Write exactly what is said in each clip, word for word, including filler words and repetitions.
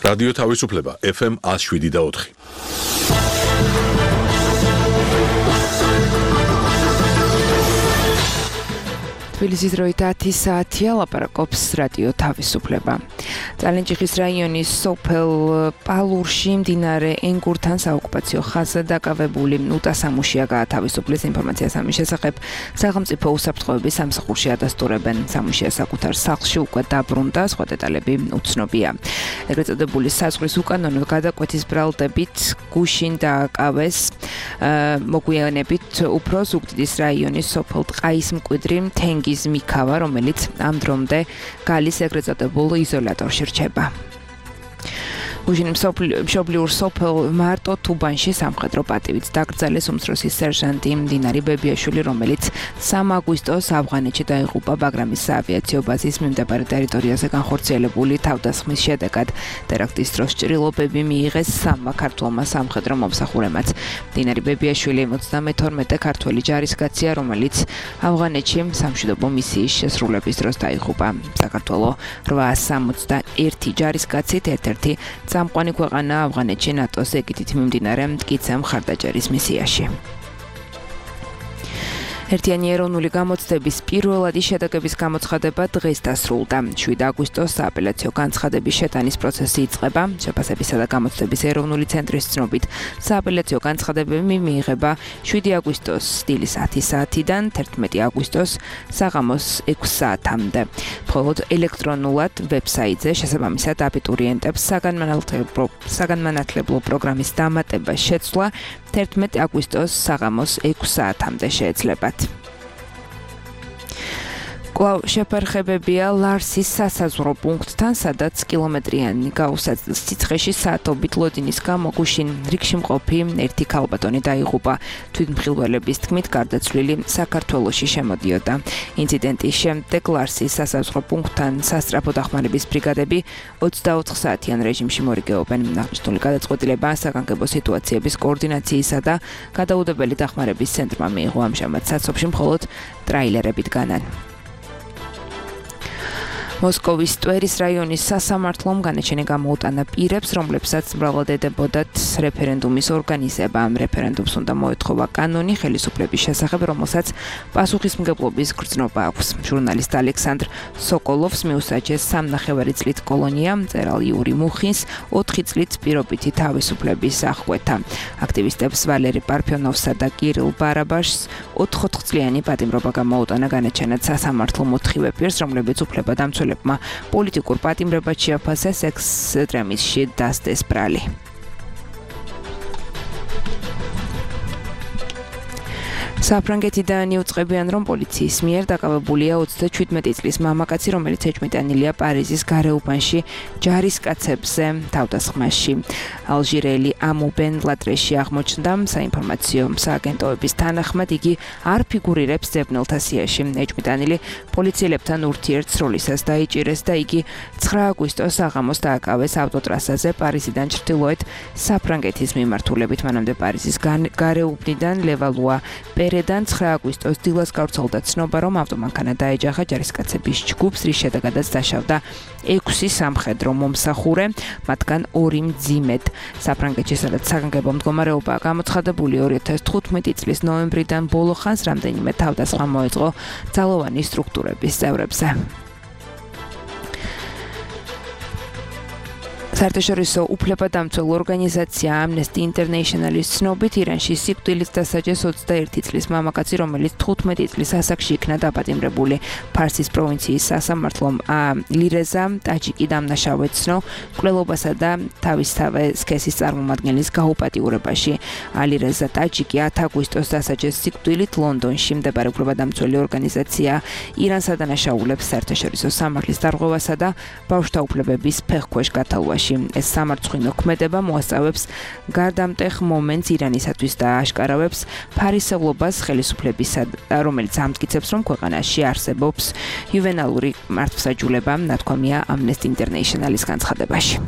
რადიო თავისუფლება ეფ ემ one oh seven და four. თბილისის დროით ათი საათია, ლაპარაკობს რადიო თავისუფლება. წალენჯიხის რაიონის სოფელ პალურში მდინარე ენგურთან საოკუპაციო ხაზზე დაკავებული ნუტა სამუშია გაათავისუფლეს. ინფორმაციას ამის შესახებ სახელმწიფო უსაფრთხოების სამსახურში ადასტურებენ. სამუშია საკუთარ სახლში უკვე დაბრუნდა, სხვა დეტალები უცნობია. ეგრეთ წოდებული საზღვრის უკანონო გადაკვეთის ბრალდებით გუშინ დააკავეს მოგვიანებით უფრო ზუგდიდის რაიონის სოფელ ტყაის მკვიდრი თენგი მიქავა, რომელიც ამ დრომდე გალის ეგრეთ წოდებულ იზოლატორში რჩება. გუშინ მშობლიურ სოფელ მარტო თუბანში სამხედრო პატივით დაკრძალეს უმცროსი სერჟანტი მდინარი ბებიაშვილი, რომელიც სამი აგვისტოს ავღანეთში დაიღუპა ბაგრამის საავიაციო ბაზის მიმდებარე ტერიტორიაზე განხორციელებული თავდასხმის შედეგად. ტერაქტის დროს ჭრილობები მიიღეს სამმა ქართველმა სამხედრო მომსახურემაც. მდინარი ბებიაშვილი ოცდამეთორმეტე ქართველი ჯარისკაცია, რომელიც ავღანეთში სამშვიდობო მისიის შესრულების დროს დაიღუპა. საქართველოს რვაას სამოცდაერთი ჯარისკაცით ერთ-ერთი წამყვანი ქვეყანა ავღანეთში ნატოს ეგიდით მიმდინარე მტკიცე მხარდაჭერის მისიაში. ერთიანი ეროვნული გამოცდების პირველადი შედეგების გამოცხადება დღეს დასრულდა. შვიდი აგვისტოს სააპელაციო განცხადების შეტანის პროცესი იწყება. შეფასებისა და გამოცდების ეროვნული ცენტრის ცნობით, სააპელაციო განცხადებები მიიღება შვიდი აგვისტოს დილის ათი საათიდან თერთმეტი აგვისტოს საღამოს ექვსი საათამდე. მხოლოდ ელექტრონულად ვებსაიტზე შესაბამისად აბიტურიენტებს საგანმანათლებლო პროგრამის დამატება შეცვლა თერთმეტი აგვისტოს საღამოს ექვსი საათამდე შეეძლებათ. კვლავ შეფერხებებია ლარსის სასაზღვრო პუნქტთან, სადაც კილომეტრიანი გაუსაძლის სიცხეში საათობით ლოდინის გამო გუშინ რიგში მყოფი ერთი ქალბატონი დაიღუპა. თვითმხილველების თქმით, გარდაცვლილი საქართველოში შემოდიოდა. ინციდენტის შემდეგ ლარსის სასაზღვრო პუნქტთან სასწრაფო დახმარების ბრიგადები ოცდაოთხ საათიან რეჟიმში მორიგეობენ. აღნიშნული გადაწყვეტილება საგანგებო სიტუაციების კოორდინაციისა და გადაუდებელი დახმარების ცენტრმა მიიღო. ამჟამად საცობში მხოლოდ ტრაილერებით განან. მოსკოვის ტვერის რაიონის სასამართლომ განაჩენი გამოუტანა პირებს, რომლებსაც მრავლად ედებოდათ რეფერენდუმის ორგანიზება. ამ რეფერენდუმს უნდა მოეთხოვა კანონი ხელისუფლების შესახებ, რომელსაც პასუხისმგებლობის გრძნობა აქვს. ჟურნალისტ ალექსანდრ სოკოლოვს მიუსაჯეს სამნახევარი წლით კოლონია, მწერალ იური მუხინს ოთხი წლით პირობითი თავისუფლების აღკვეთა. აქტივისტებს ვალერი პარფიონოვსა და კირილ ბარაბაშს ოთხოთხწლიანი პატიმრობა გამოუტანა განაჩენად სასამართლომ ოთხივე პირს, რომლებიც უფლებადამცველებმა პოლიტიკურ პატიმრებად შეაფასეს ექსტრემიზმში დასდეს ბრალი. საფრანგეთიდან იუწყებიან, რომ პოლიციის მიერ დაკავებულია ოცდაჩვიდმეტი წლის მამაკაცი, რომელიც ეჭვმიტანილია პარიზის გარეუბანში ჯარისკაცებზე თავდასხმაში. ალჟირელი ამუ ბენ ლატრეში აღმოჩნდა. საინფორმაციო სააგენტოების თანახმად იგი არ ფიგურირებს ძებნელთა სიაში. ეჭვმიტანილი პოლიციელებთან ურთიერთსროლისას დაიჭირეს და იგი ცხრა აგვისტოს საღამოს დააკავეს ავტოტრასაზე პარიზიდან ჩრდილოეთ საფრანგეთის მიმართულებით. მანამდე პარიზის გარეუბნიდან ლევალუა პერედან ცხრა აგვისტოს დილას გავრცელდა ცნობა, რომ ავტომანქანა დაეჯახა ჯარისკაცების ჯგუფს, რის შედეგადაც დაშავდა ექვსი სამხედრო მომსახურე, მათგან ორი მძიმედ. საფრანგეთში, სადაც საგანგებო მდგომარეობაა გამოცხადებული, ორი ათას თხუთმეტი წლის ნოემბრიდან ბოლო ხანს რამდენიმე თავდასხმა მოეწყო ძალოვანი სტრუქტურების წევრებზე. საერთაშორისო უფლებადამცველ ორგანიზაცია Amnesty International-ის ცნობით, ირანში სიკვდილით დასაჯეს ოცდაერთი წლის მამაკაცი, რომელიც თხუთმეტი წლის ასაკში იქნა დაპატიმრებული. ფარსის პროვინციის სასამართლომ ლირეზა ტაჯიკი დამნაშავედ ცნო მკვლელობასა და თავისთავე სქესის წარმომადგენლის გაუპატიურებაში. ალირეზა ტაჯიკი ათი აგვისტოს დასაჯეს სიკვდილით ლონდონში. მდებარე უფლებადამცველი ორგანიზაცია ირანს ადანაშაულებს საერთაშორისო სამართლის დარღვევასა და ბავშვთა უფლებების ფეხქვეშ გათალვაში. ეს სამარცხვინო ქმედება მოასწავებს გარდამტეხ მომენტს ირანისათვის და აშკარავებს ფარისევლობას ხელისუფლებისა, რომელიც ამტკიცებს, რომ ქვეყანაში არსებობს იუვენალური მართლმსაჯულება, ნათქვამია Amnesty International-ის განცხადებაში.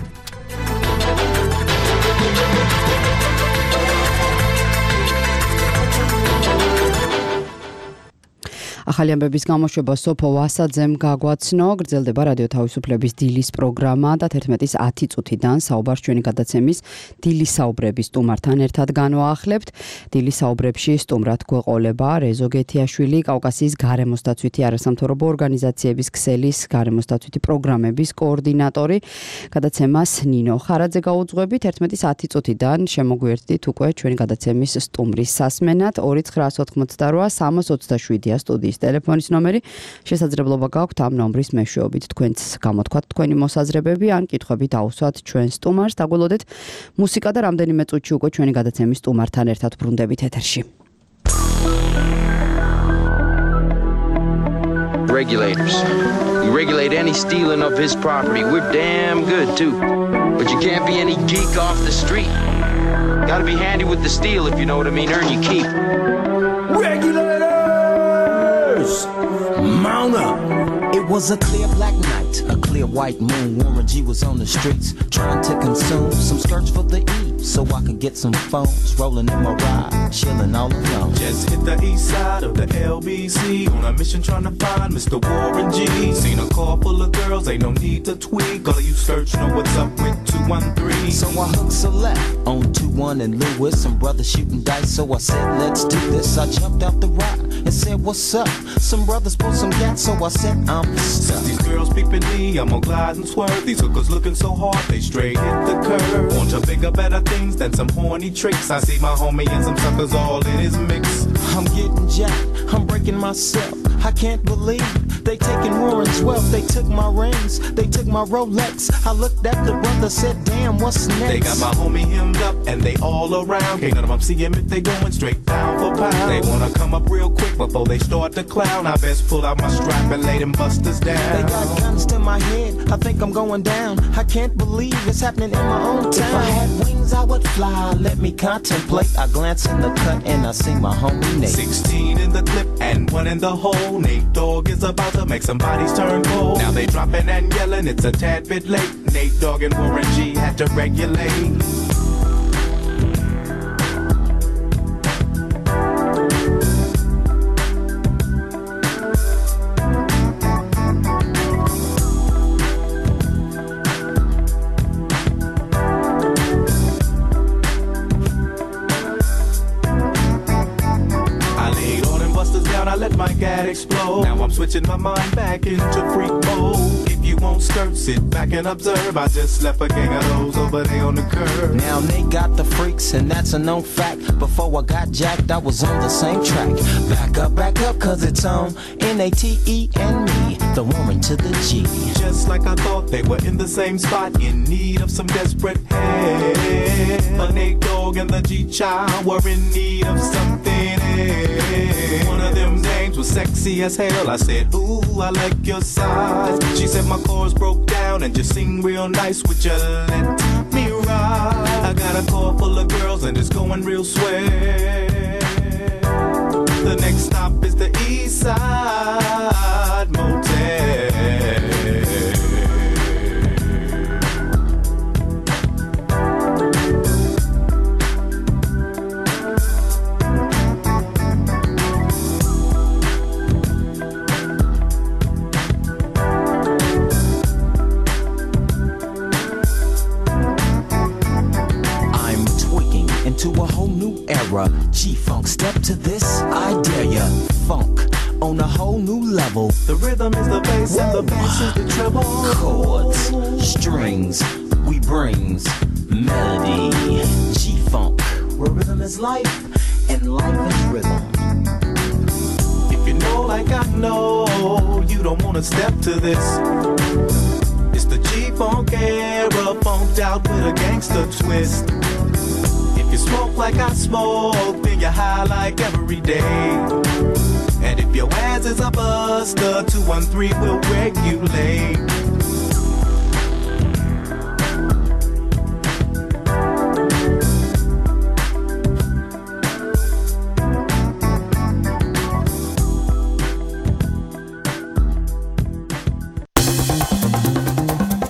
ახალი ამბების გამოშვება სოფო ვასაძემ გაგვაცნო, გრძელდება რადიო თავისუფლების დილის პროგრამა და თერთმეტის ათი წუთიდან საუბარს ჩვენი გადაცემის დილის საუბრების სტუმართან ერთად განვაახლებთ. დილის საუბრებში სტუმრად გვეყოლება რეზო გეთიაშვილი, კავკასიის გარემოსდაცვითი არასამთავრობო ორგანიზაციების ქსელის გარემოსდაცვითი პროგრამების კოორდინატორი. გადაცემას ნინო ხარაძე გაუძღვები. თერთმეტის ათი წუთიდან შემოგვიერთდით უკვე ჩვენი გადაცემის სტუმრის სასმენად. ორი ცხრაას ოთხმოცდარვა სამას ოცდაშვიდია სტუდიის ტელეფონის ნომერი. შესაძლებლობა გაქვთ ამ ნომრის მეშვეობით თქვენც გამოთქვათ თქვენი მოსაზრებები ან კითხვები დაუსვათ ჩვენ სტუმარს. დაგველოდეთ მუსიკა და რამდენიმე წუთში უკვე ჩვენი გადაცემის სტუმართან ერთად ბრუნდებით ეთერში. Regulators. You regulate any stealing of his property. We're damn good too. But you can't be any geek off the street. Gotta be handy with the steel if you know what I mean. Earn your keep. Regulators! Mount up! It was a clear black night, a clear white moon. Warren G was on the streets trying to consume some skirts for the E, so I could get some phones. Rolling in my ride, chilling all alone. Just hit the east side of the L B C on a mission trying to find Mister Warren G. Seen a car full of girls, ain't no need to tweak. All of you search know what's up with two one three. So I hooked select on two one and Lewis. Some brothers shooting dice, so I said, let's do this. I jumped out the ride and said, what's up? Some brothers pulled some gas, so I said, I'm Since these girls peeping me, I'm gonna glide and swerve. These hookers looking so hard, they straight hit the curve. Want to bigger, better things than some horny tricks. I see my homie and some suckers all in his mix. I'm getting jacked, I'm breaking myself. I can't believe they taking Warren's wealth. They took my rings, they took my Rolex. I looked at the brother, said, damn, what's next? They got my homie hemmed up and they all around. Can't none of them see him if they going straight down for pound. They wanna come up real quick before they start to clown. I best pull out my strap and lay them busters down. They got guns to my head, I think I'm going down. I can't believe it's happening in my own town. If I had wings, I would fly, let me contemplate. I glance in the cut and I see my homie Nate. Sixteen in the clip and one in the hole. Nate Dogg is about to make some bodies turn cold. Now they dropping and yelling, it's a tad bit late. Nate Dogg and Warren G had to regulate. Explode. Now I'm switching my mind back into freak mode. If you won't skirt, sit back and observe. I just left a gang of those over there on the curb. Now they got the freaks and that's a known fact. Before I got jacked, I was on the same track. Back up, back up, cause it's on N A T E and me, the woman to the G. Just like I thought, they were in the same spot, in need of some desperate help. But Nate Dogg and the G-Child were in need of something else. One of them names was sexy as hell. I said, ooh, I like your size. She said my chords broke down and just sing real nice. Would you let me ride? I got a car full of girls and it's going real swell. The next stop is the East Side Motel. To a whole new era, G-Funk, step to this, I dare ya. Funk on a whole new level. The rhythm is the bass and the bass is the treble. Chords, strings, we brings melody. G-Funk, where rhythm is life and life is rhythm. If you know like I know, you don't wanna step to this. It's the G-Funk era, funked out with a gangster twist. You smoke like I smoke, then you high like every day. And if your ass is a buster, two one three will regulate.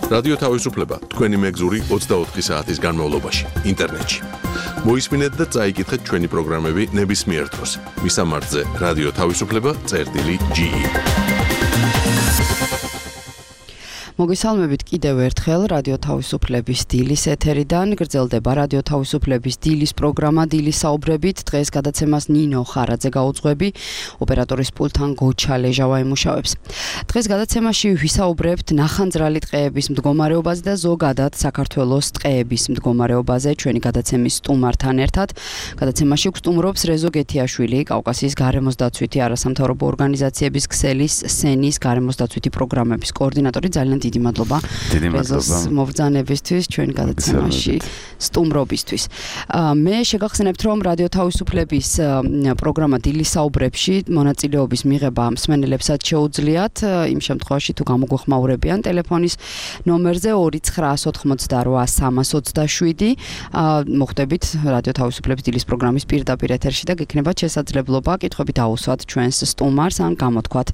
რადიო თავისუფლება თქვენი მეგზური ოცდაოთხი საათის განმავლობაში ინტერნეტში მოისმინეთ და წაიკითხეთ ჩვენი პროგრამები ნებისმიერ დროს. მისამართზე რადიო თავისუფლება წერტილი ჯი ი. მოგესალმებით კიდევ ერთხელ რადიო თავისუფლების დილის ეთერიდან. გრძელდება რადიო თავისუფლების დილის პროგრამა დილის საუბრებით. დღეს გადაცემას ნინო ხარაძე გაუძღვები, ოპერატორის პულტთან გოჩა ლეჟავა იმუშავებს. დღეს გადაცემაში ვისაუბრებთ ნახანძრალი ტყეების მდგომარეობაზე და ზოგადად საქართველოს ტყეების მდგომარეობაზე ჩვენი გადაცემის სტუმართან ერთად. გადაცემაში გვსტუმრობს რეზო გეთიაშვილი, კავკასიის გარემოს დაცვითი არასამთავრობო ორგანიზაციების ქსელის სენის გარემოს დაცვითი პროგრამების კოორდინატორი. ძალიან დიდი მადლობა რეზოს მობრძანებისთვის ჩვენი გადაცემაში სტუმრობისთვის. მე შეგახსენებთ, რომ რადიო თავისუფლების პროგრამა დილის საუბრებში მონაწილეობის მიღება მსმენელებსაც შეუძლიათ იმ შემთხვევაში თუ გამოგვეხმაურებიან ტელეფონის ნომერზე ორი ცხრაას ოთხმოცდარვა სამას ოცდაშვიდი. მოხვდებით რადიო თავისუფლების დილის პროგრამის პირდაპირ ეთერში და გექნებათ შესაძლებლობა კითხვები დაუსვათ ჩვენს სტუმარს ან გამოთქვათ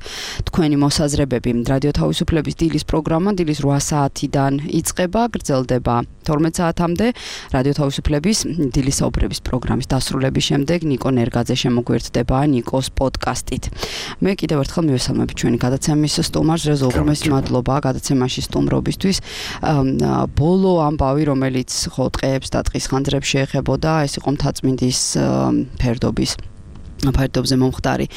თქვენი მოსაზრებები. რადიო თავისუფლების დილის პროგრამა დილის რვა საათიდან იწყება, გრძელდება თორმეტ საათამდე. რადიო თავისუფლების დილის საუბრების პროგრამის დასრულების შემდეგ ნიკო ნერგაძე შემოგვერთდება ნიკოს პოდკასტით. მე კიდევ ერთხელ მივესალმებით ჩვენი გადაცემის სტუმარს რეზო უღრმესი მადლობა გადაცემაში სტუმრობისთვის. ბოლო ამბავი, რომელიც ხო ტყეებს და ტყის ხანძრებს შეეხებოდა, ეს იყო მთაწმინდის ფერდობის ფერდობზე მომხდარი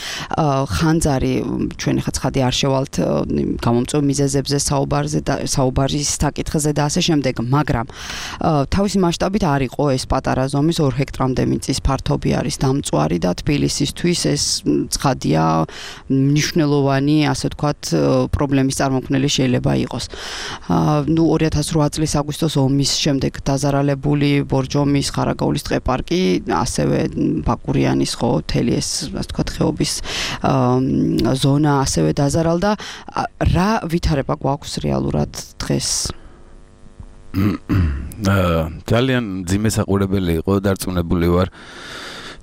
ხანძარი. ჩვენი ხაცხადი არ შევალთ გამომწვევ მიზეზებზე საუბარზე და საუბარის საკითხზე და ასე შემდეგ, მაგრამ თავისი მასშტაბით არ იყო ეს პატარა ზომის ორ ჰექტრამდე მიწის ფართობი არის დამწვარი და თბილისისთვის ეს ცხადია მნიშვნელოვანი, ასე ვთქვათ, პრობლემის წარმოქმნელი შეიძლება იყოს. ნუ ორი ათას რვა წლის აგვისტოს ომის შემდეგ დაზარალებული ბორჯომის, ხარაგაულის ტყეპარკი, ასევე ბაკურიანის ხო თელი ეს ასე ვთქვათ ხეობის ზონა ასევე დაზარალდა. რა ვითარება გვაქვს რეალურად დღეს? ძალიან ძიმე საყურებელი იყო, დარწმუნებული ვარ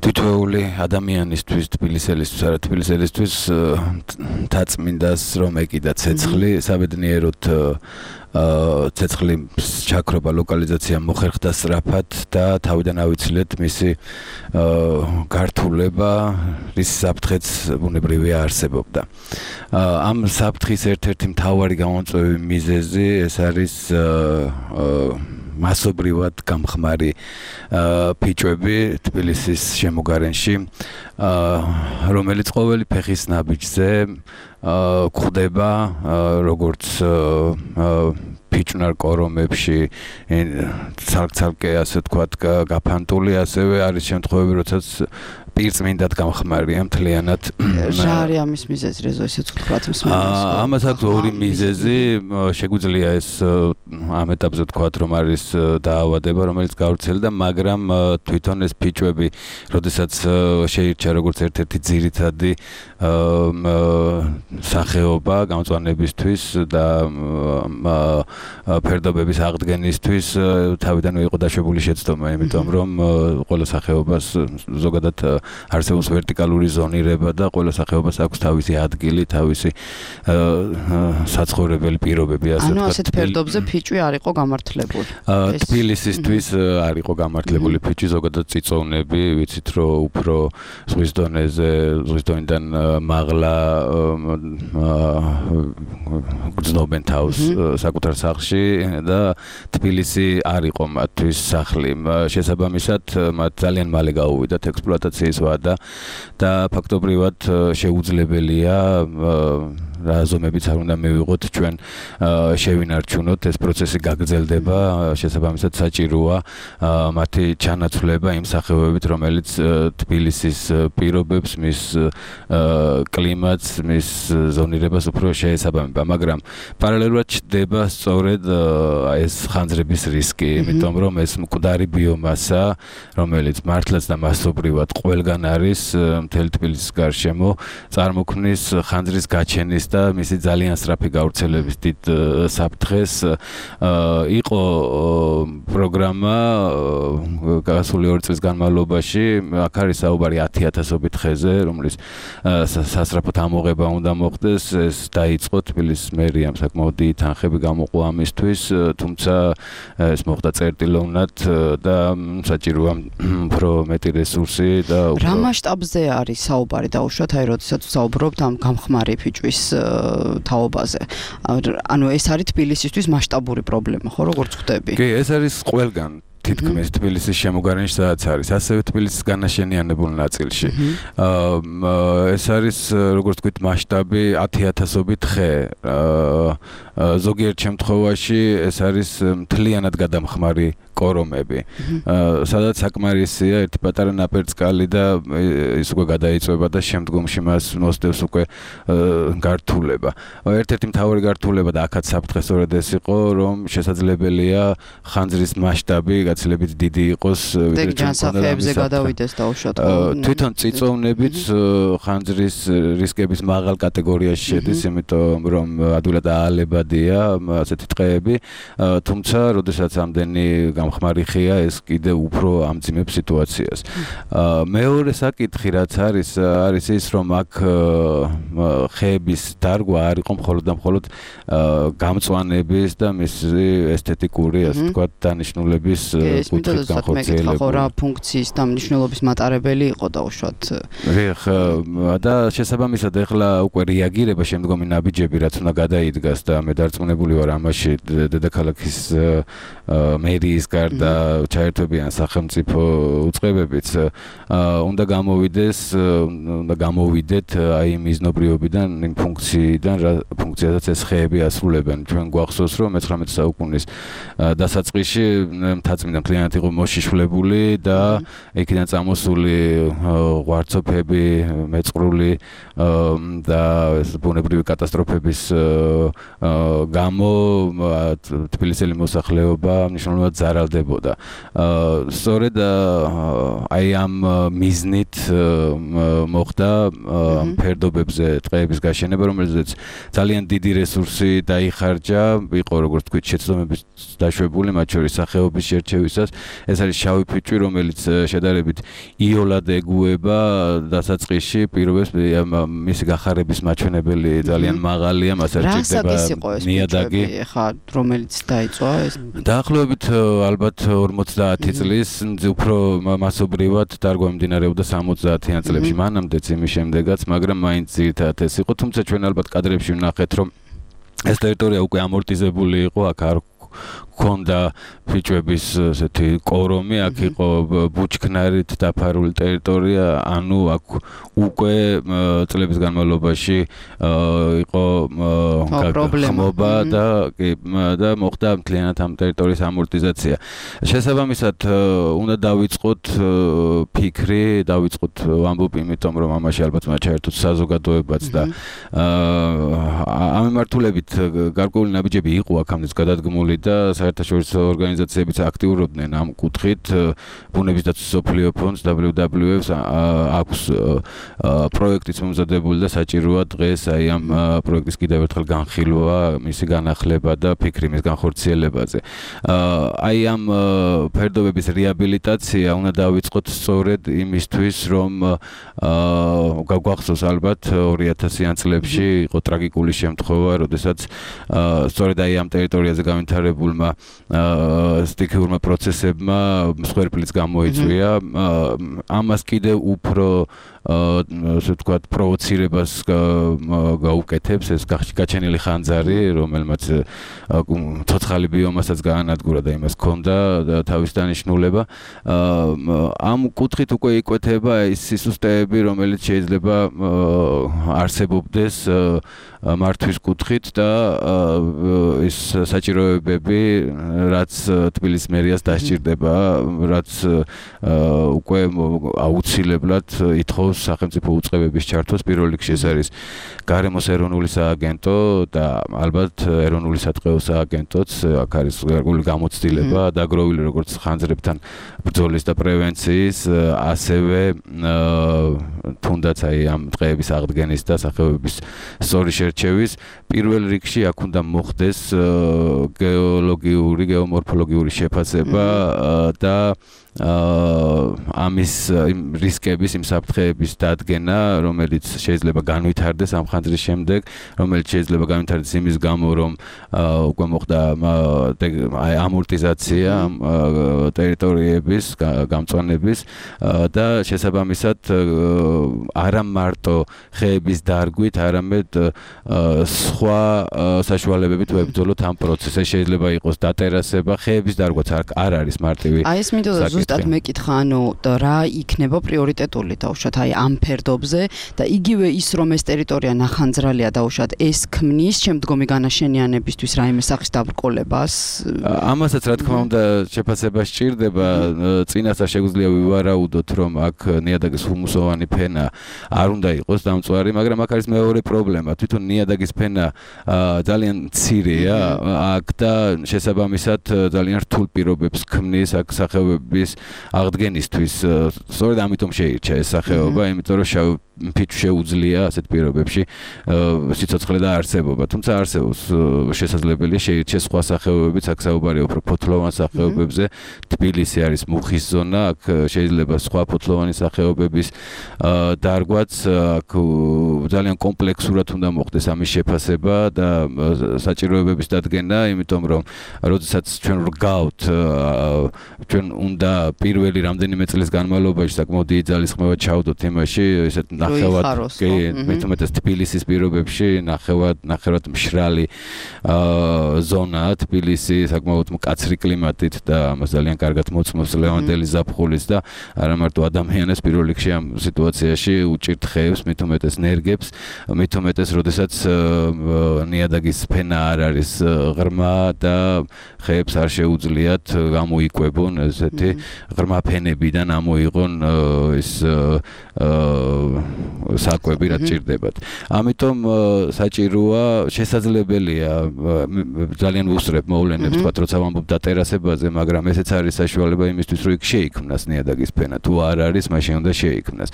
თითოეული ადამიანისთვის, თბილისელისთვის, არა თბილისელისთვის მთაწმინდას რომ ეკიდა ცეცხლი, საბედნიეროდ ცეცხლის ჩაქრობა, ლოკალიზაცია მოხერხდა სწრაფად და თავიდან ავიცილეთ მისი გართულება, რის საფრთხეც ბუნებრივია არსებობდა. ამ საფრთხის ერთ-ერთი მთავარი გამომწვევი მიზეზი ეს არის მასობრივად გამხმარი ფიჭვები თბილისის შემოგარენში, რომელიც ყოველი ფეხის ნაბიჯზე გვხვდება, როგორც ფიჭვნარ კორომებში, ცალკ-ცალკე ასე ვთქვათ გაფანტული, ასევე არის შემთხვევები, როდესაც პირწმინდად გამხმარია მთლიანად. რა არის ამის მიზეზი, რეზო ისეც ვთქვათ მსმენელს? ამას აქვს ორი მიზეზი, შეგვიძლია ეს ამ ეტაპზე ვთქვათ, რომ არის დაავადება, რომელიც გავრცელდა, მაგრამ თვითონ ეს ფიჭვები, როდესაც შეირჩა როგორც ერთ-ერთი ძირითადი სახეობა გამწვანებისთვის და ფერდობების აღდგენისთვის, თავიდანვე იყო დაშვებული შეცდომა, იმიტომ რომ ყველა სახეობას ზოგადად არსებობს ვერტიკალური ზონირება და ყველა სახეობას აქვს თავისი ადგილი, თავისი საცხოვრებელი პირობები, ასე ვთქვათ. ანუ ასეთ ფერდობზე ფიჭვი არ იყო გამართლებული. თბილისისთვის არ იყო გამართლებული ფიჭვი, ზოგადად წიწოვნები, ვიცით რომ უფრო ზღვის დონეზე, ზღვის დონიდან მაღლა გრძნობენ თავს საკუთარ სახლში და თბილისი არ იყო მათთვის სახლი. შესაბამისად, მათ ძალიან მალე გაუვიდათ ექსპლუატაციის ვადა და ფაქტობრივად შეუძლებელია რა ზომებიც არ უნდა მივიღოთ ჩვენ შევინარჩუნოთ, ეს პროცესი გაგრძელდება, შესაბამისად საჭიროა მათი ჩანაცვლება იმ სახეობებით, რომელიც თბილისის პირობებს, მის კლიმატს, მის ზონირებას უფრო შეესაბამება, მაგრამ პარალელურად ჩდება სწორედ ეს ხანძრების რისკი, იმიტომ რომ ეს მკვდარი ბიომასა, რომელიც მართლაც და მასობრივად ყველგან არის მთელი თბილისის გარშემო, წარმოქმნის ხანძრის გაჩენის და მისი ძალიან სწრაფი გავრცელების დიდ საფრთხეს იყო პროგრამა გასული ორი წლის განმავლობაში აქ არის საუბარი ათი ათასობით ხეზე რომლის სასწრაფოდ ამოღება უნდა მოხდეს ეს დაიწყო თბილისის მერიამ საკმაოდ დიდი თანხები გამოყო ამისთვის თუმცა ეს მოხდა წერტილოვნად და საჭიროა უფრო მეტი რესურსი და რა მასშტაბზე არის საუბარი დაუშვათ აი როდესაც საუბრობთ ამ გამხმარი ფიჭვის თაობაზე ანუ ეს არის თბილისისთვის მასშტაბური პრობლემა ხო როგორც ხვდები კი ეს არის ყველგან თითქმის თბილისის შემოგარენში სადაც არის ასევე თბილისის განაშენიანებულ ნაწილში ეს არის როგორც თქვით მასშტაბი ათი ათასობით ხე ზოგიერთ შემთხვევაში ეს არის მთლიანად გადამხმარი კორომები სადაც საკმარისია ერთი პატარა ნაპერწკალი და ის უკვე გადაიწვება და შემდგომში მას მოსდევს უკვე გართულება ერთ-ერთი მთავარი გართულება და აქაც საფრთხე სწორედ ეს იყო რომ შესაძლებელია ხანძრის მასშტაბი გაცილებით დიდი იყოს ვიდრე ჯანსაღებზე გადავიდეს დაუშვათ თვითონ წიწოვნებით ხანძრის რისკების მაღალ კატეგორიაში შედის იმიტომ რომ ადვილად აალებადია ასეთი ტყეები თუმცა როდესაც ამდენი გამხმარი ხეა ეს კიდე უფრო ამძიმებს სიტუაციას. მეორე საკითხი რაც არის არის ის რომ აქ ხეების დარგვა არ იყო მხოლოდ და მხოლოდ გამწვანების და მისი ესთეტიკური ასე ვთქვათ დანიშნულების კუთხით განხორციელებული. ხო რა ფუნქციის და მნიშვნელობის მატარებელი იყო დაუშვათ. რეხ და შესაბამისად ეხლა უკვე რეაგირება შემდგომი ნაბიჯები რაც უნდა გადაიდგას და მე დარწმუნებული ვარ ამაში დედაქალაქის მერიის გარდა ჩაერთვებიან სახელმწიფო უწყებებიც უნდა გამოვიდეს უნდა გამოვიდეთ აი მიზნობრიობიდან იმ ფუნქციიდან რა ფუნქციასაც ეს ხეები ასრულებენ ჩვენ გვახსოვს რომ მეცხრამეტე საუკუნის დასაწყისში მთაწმინდა მთლიანად იყო მოშიშვლებული და იქიდან წამოსული ღვარცოფები მეწყრული და ბუნებრივი კატასტროფების გამო თბილისელი მოსახლეობა მნიშვნელოვნად ზარალდებოდა. სწორედ აი ამ მიზნით მოხდა ამ ფერდობებზე ტყეების გაშენება, რომელზეც ძალიან დიდი რესურსი დაიხარჯა, იყო როგორც თქვით შეცდომების დაშვებული, მათ შორის სახეობის შერჩევისას. ეს არის შავი ფიჭვი, რომელიც შედარებით იოლად ეგუება დასაწყისში პირობებს მისი გახარების მაჩვენებელი ძალიან მაღალია, მას არ ჭირდება ნიადაგი. ხა რომელიც დაიწვა ეს დაახლოებით ალბათ ორმოცდაათი წლის უფრო მასობრივად დარგვა მიმდინარეობდა სამოცდაათიან წლებში მანამდეც იმის შემდეგაც მაგრამ მაინც ძირითადად ეს იყო თუმცა ჩვენ ალბათ კადრებში ვნახეთ რომ ეს ტერიტორია უკვე ამორტიზებული იყო აქ არ ქონდა ფიჭვების ესეთი კორომი აქ იყო ბუჩქნარით დაფარული ტერიტორია ანუ აქ უკვე წლების განმავლობაში იყო ხმობა და და მოხდა მთლიანად ამ ტერიტორიის ამორტიზაცია შესაბამისად უნდა დავიწყოთ ფიქრი დავიწყოთ ვამბობ იმიტომ რომ ამაში ალბათ უნდა ჩაერთოთ საზოგადოებაც და ამ მიმართულებით გარკვეული ნაბიჯები იყო აქამდე გადადგმული და საერთაშორისო ორგანიზაციებიც აქტიურობდნენ ამ კუთხით ბუნების დაცვის მსოფლიო ფონდს დაბლიუ დაბლიუ ეფს აქვს პროექტიც მომზადებული და საჭიროა დღეს აი ამ პროექტის კიდევ ერთხელ განხილვა მისი განახლება და ფიქრი მის განხორციელებაზე აი ამ ფერდობების რეაბილიტაცია უნდა დავიწყოთ სწორედ იმისთვის რომ გაგვახსოვს ალბათ ორი ათასიან წლებში იყო ტრაგიკული შემთხვევა როდესაც სწორედ აი ამ ტერიტორიაზე განვითარებულმა სტიქიურმა პროცესებმა მსხვერპლიც გამოიწვია ამას კიდევ უფრო ასე ვთქვათ პროვოცირებას გაუკეთებს ეს გაჩენილი ხანძარი რომელმაც ცოცხალი ბიომასაც გაანადგურა და იმას ჰქონდა თავის დანიშნულება ამ კუთხით უკვე იკვეთება ის სისუსტეები რომელიც შეიძლება არსებობდეს მართვის კუთხით და ის საჭიროებები რაც თბილისის მერიას დასჭირდება რაც უკვე აუცილებლად ითხოვს საქართველოს სახელმწიფო უწყებების ჩართვას. პირველ რიგში ეს არის გარემოს ეროვნული სააგენტო და ალბათ ეროვნული სატყეო სააგენტოც, აქ არის გარკვეული გამოცდილება დაგროვილი როგორც ხანძრებთან ბრძოლის და პრევენციის, ასევე თუნდაც აი ამ დღეების აღდგენის და სახეობების სწორი შერჩევის. პირველ რიგში აქ უნდა მოხდეს გეოლოგიური, გეომორფოლოგიური შეფასება და ამის რისკების, იმ საფრთხეების დადგენა, რომელიც შეიძლება განვითარდეს ამ ხანძრის შემდეგ, რომელიც შეიძლება განვითარდეს იმის გამო, რომ უკვე მოხდა ამორტიზაცია ტერიტორიების, გამწვანების და შესაბამისად არა მარტო ხეების დარგვით, არამედ სხვა საშუალებებით ვებრძოლოთ ამ პროცესს. შეიძლება იყოს დატერასება, ხეების დარგვაც არ არის მარტივი. აი ეს მინდოდა ზუსტად მეკითხა, ანუ რა იქნება პრიორიტეტული დაუშვათ აი ამ ფერდობზე და იგივე ის რომ ეს ტერიტორია ნახანძრალია დაუშვათ ეს ქმნის შემდგომი განაშენიანებისთვის რაიმე სახის დაბრკოლებას. ამასაც რა თქმა უნდა შეფასება სჭირდება. წინასწარ შეგვიძლია ვივარაუდოთ, რომ აქ ნიადაგის ჰუმუსოვანი ფენა არ უნდა იყოს დამწვარი, მაგრამ აქ არის მეორე პრობლემა. თვითონ ნიადაგის ფენა ძალიან მცირეა აქ და შესაბამისად ძალიან რთულ პირობებს ქმნის აქ სახეობების აღდგენისთვის. სწორედ ამიტომ შეირჩა ეს სახეობა, იმიტომ რომ შავ ფიჭვი შეუძლია ასეთ პირობებში სიცოცხლე და არსებობა. თუმცა არსებობს შესაძლებელია შეირჩეს სხვა სახეობებიც, აქ საუბარია უფრო ფოთლოვან სახეობებზე. თბილისი არის მუხის ზონა, აქ შეიძლება სხვა ფოთლოვანი სახეობების დარგვაც, აქ ძალიან კომპლექსურად უნდა მოხდეს ამის შეფასება და საჭიროებების დადგენა, იმიტომ რომ როდესაც ჩვენ რგავთ, ჩვენ უნდა პირველი რამდენიმე წლის განმავლობაში საკმაოდ დიდი ძალისხმევა ჩავდოთ იმაში, ესეთ ნახევად კი მეტუმეტეს თბილისის პირობებში ნახევად ნახევად მშრალი ზონაა თბილისი საკმაოდ მკაცრი კლიმატით და ამას ძალიან კარგად მოწმობს ლევანდელი ზაფხულის და არა მარტო ადამიანებს პირველ რიგში ამ სიტუაციაში უჭირთ ხეებს, მეტუმეტეს ნერგებს, მეტუმეტეს როდესაც ნიადაგის ფენა არ არის ღრმა და ხეებს არ შეუძლიათ გამოიკვებონ ესეთი ღრმა ფენებიდან ამოიღონ ის საკვები რაც ჭირდებათ. ამიტომ საჭიროა, შესაძლებელია ძალიან ვუსწრებ მოვლენებს, თქვათ, როცა ვამბობ დატერასებაზე, მაგრამ ესეც არის საშუალება იმისთვის, რომ იქ შეიქმნას ნიადაგის ფენა. თუ არ არის, მაშინ უნდა შეიქმნას.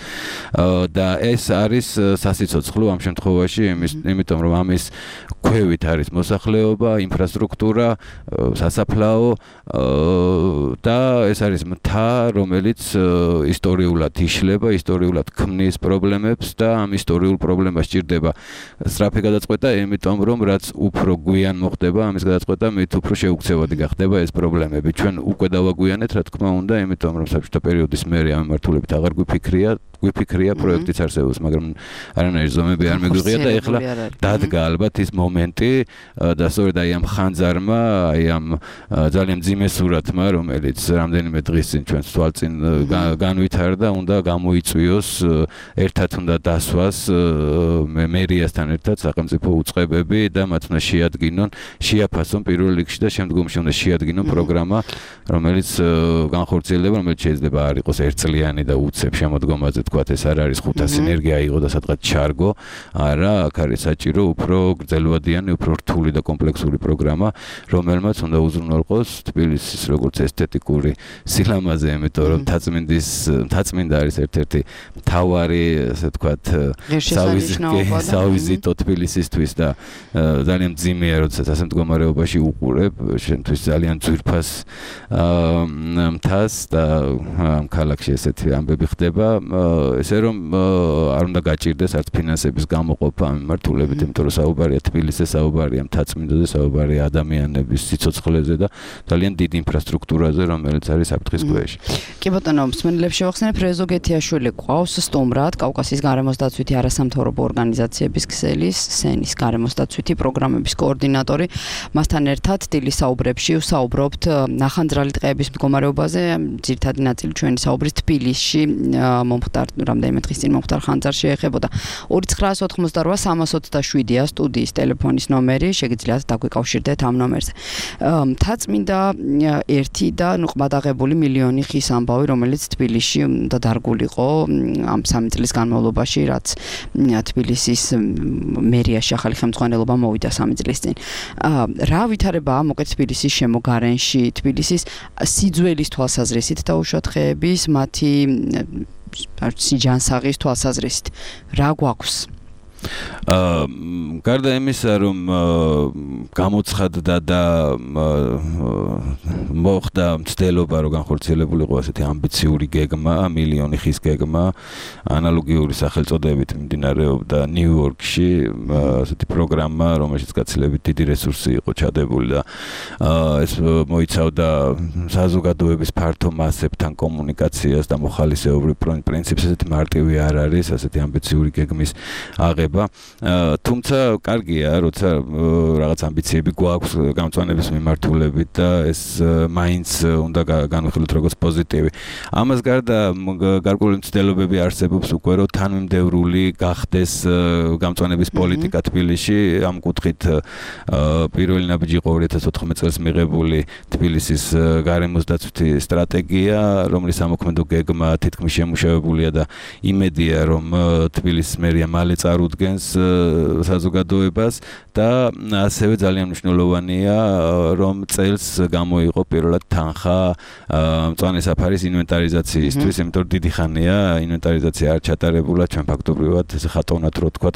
და ეს არის სასიცოცხლო ამ შემთხვევაში, იმიტომ რომ ამის ქვევით არის მოსახლეობა, ინფრასტრუქტურა, სასაფლაო და ეს არის მთა, რომელიც ისტორიულად იშლება, ისტორიულად ქმნის პრობლემებს და ამ ისტორიულ პრობლემას ჭირდება სწრაფი გადაწყვეტა, იმიტომ რომ რაც უფრო გვიან მოხდება, ამის გადაწყვეტა მით უფრო შეუქცევადი გახდება ეს პრობლემები. ჩვენ უკვე დავაგვიანეთ, რა თქმა უნდა, იმიტომ რომ საბჭოთა პერიოდის მერე ამ მიმართულებით აღარ გვიფიქრია, გვიფიქრია პროექტიც არსებობს, მაგრამ არანაირი ზომები არ მეგვიღია და ეხლა დადგა ალბათ ის მომენტი და სწორედ აი ამ ხანძარმა, აი ამ ძალიან მძიმე სურათმა, რომელიც რამდენიმე დღის წინ ჩვენს თვალწინ განვითარდა, უნდა გამოიწვიოს, ერთად უნდა დასვას მერიასთან ერთად სახელმწიფო უწყებები და მათ უნდა შეადგინონ, შეაფასონ პირველ რიგში და შემდგომში უნდა შეადგინონ პროგრამა, რომელიც განხორციელდება, რომელიც შეიძლება არ იყოს ერთწლიანი და უცებ შემოდგომაზე, თქვათ, ეს არ არის ხუთას ენერგია აიღო და სადღაც ჩარგო, არა, აქ არის საჭირო უფრო გრძელვადიანი, უფრო რთული და კომპლექსური პროგრამა, რომელმაც უნდა უზრუნველყოს თბილისის როგორც ესთეტიკური სილამაზე, იმიტომ რომ თაწმინდის თაწმინდა არის ერთ-ერთი მთავარი, ასე ვთქვათ, სავიზიტო თბილისისთვის და ძალიან მძიმეა, როდესაც ასე მდგომარეობაში უყურებ, შენთვის ძალიან ძვირფას მთას და ამ ქალაქში ესეთი ამბები ხდება, ესე რომ არ უნდა გაჭირდეს არც ფინანსების გამოყოფა ამ მიმართულებით, იმიტომ რომ საუბარია თბილისზე, საუბარია მთაწმინდაზე, საუბარია ადამიანების სიცოცხლეზე და ძალიან დიდი ინფრასტრუქტურაზე, რომელიც არის საფრთხის ქვეშ. კი ბატონო, მსმენელებს შევახსენებ, რეზო გეთიაშვილი ყავს სტუმრად, კავკასიის გარემოს დაცვითი არასამთავრობო ორგანიზაციების ქსელის, სენის გარემოს დაცვითი პროგრამების კოორდინატორი. მასთან ერთად დილის საუბრებში ვსაუბრობთ ნახანძრალი ტყეების მდგომარეობაზე, ძირითადი ნაწილი ჩვენი საუბრის თბილისში მომხდარ რამდენიმე დღის წინ მომხდარ ხანძარში ეხებოდა. ორი ცხრაას ოთხმოცდაოთხ სამას ოცდაშვიდია სტუდიის ტელეფონის ნომერი, შეგიძლიათ დაგვიკავშირდეთ ამ ნომერზე. მთაწმინდა ერთი და ნუ ყმადაღებული მილიონი ხის ამბავი, რომელიც თბილისში უნდა დარგულიყო ამ სამი წლის განმავლობაში, რაც თბილისის მერიაში ახალი ხელმძღვანელობა მოვიდა სამი წლის წინ. რა ვითარებაა მოკეთ თბილისის შემოგარენში, თბილისის სიძველის თვალსაზრისით და უშუალოდ ხეების მათი სიჯანსაღის თვალსაზრისით რა გვაქვს? აა გარდა იმისა, რომ გამოცხადდა და მოხდა მცდელობა, რომ განხორციელებულიყო ასეთი ამბიციური გეგმა, მილიონი ხის გეგმა, ანალოგიური სახელწოდებით მიმდინარეობდა ნიუ-იორკში, ასეთი პროგრამა, რომელშიც გაცილებით დიდი რესურსი იყო ჩადებული და ეს მოიცავდა საზოგადოების ფართო მასებთან კომუნიკაციას და მოხალისეობრივ პრინციპს, ასეთი მარტივი არ არის, ასეთი ამბიციური გეგმის აღება. თუმცა კარგია, როცა რაღაც ამბიციები გვაქვს გამწვანების მიმართულებით და ეს მაინც უნდა განვიხილოთ როგორც პოზიტივი. ამას გარდა გარკვეული მცდელობები არსებობს უკვე, რომ თანმიმდევრული გახდეს გამწვანების პოლიტიკა თბილისში. ამ კუთხით პირველი ნაბიჯი იყო ორი ათას ოთხმეტ წელს მიღებული თბილისის გარემოსდაცვითი სტრატეგია, რომლის ამოქმედო გეგმა თითქმის შემუშავებულია და იმედია, რომ თბილისის მერია მალე წარუდგენს საზოგადოებას და ასევე ძალიან მნიშვნელოვანია, რომ წელს გამოიყო პირველად თანხა მწვანე საფარის ინვენტარიზაციისთვის, იმიტომ რომ დიდი ხანია ინვენტარიზაცია არ ჩატარებულა, ჩვენ ფაქტობრივად ესე ხატოვნად რო თქვა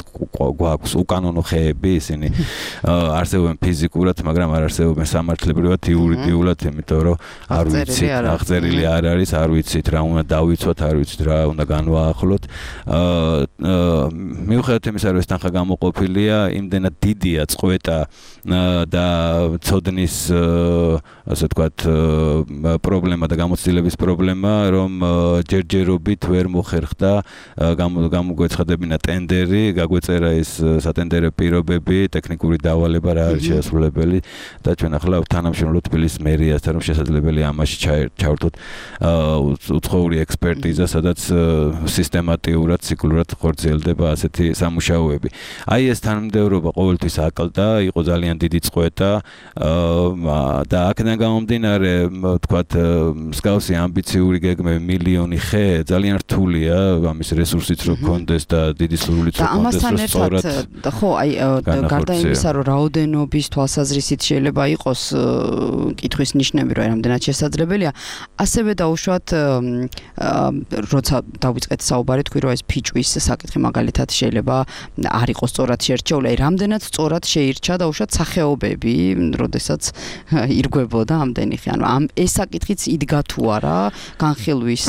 გვაქვს უკანონო ხეები, ისინი არსებობენ ფიზიკურად, მაგრამ არ არსებობენ სამართლებრივად, იურიდიულად, იმიტომ რომ არ ვიცით, აღწერილი არ არის, არ ვიცით რა უნდა დავიცვათ, არ ვიცით რა უნდა განვაახლოთ. მიუხედავად იმისა, რომ ეს თანხა გამოყოფილია, იმდენად დიდია წყვეტა და ცოდნის ასე ვთქვათ პრობლემა და გამოცდილების პრობლემა, რომ ჯერჯერობით ვერ მოხერხდა გამოგვეცხადებინა ტენდერი, გაგვეწერა ის სატენდერო პირობები, ტექნიკური დავალება რა არის შესაძლებელი და ჩვენ ახლა თანამშრომლობთ თბილისის მერიასთან, რომ შესაძლებელია ამაში ჩავერთოთ უცხოური ექსპერტიზა, სადაც სისტემატიურად, ციკლურად ხორციელდება ასეთი სამუშაოები. აი ეს თანმიმდევრობა ყოველთვის აკლდა, იყო ძალიან დიდი წყვეტა და აქედან გამომდინარე, ვთქვათ, მსგავსი ამბიციური გეგმები, მილიონი ხე ძალიან რთულია, ამის რესურსიც რო გქონდეს და დიდი სურვილიც რო გქონდეს, რომ სწორად და ხო, აი გარდა იმისა, რომ რაოდენობის თვალსაზრისით შეიძლება იყოს კითხვის ნიშნები, რომ რამდენად შესაძლებელია, ასევე დაუშვათ, როცა დავიწყეთ საუბარი, თქვი რომ ეს ფიჭვის საკითხი მაგალითად შეიძლება არ იყოს სწორად შერჩეული, აი რამდენად სწორად შეირჩა დაუშვათ სახეობები, როდესაც ირგვებოდა ამდენი ხე, ანუ ამ ეს საკითხიც იდგა თუ არა განხილვის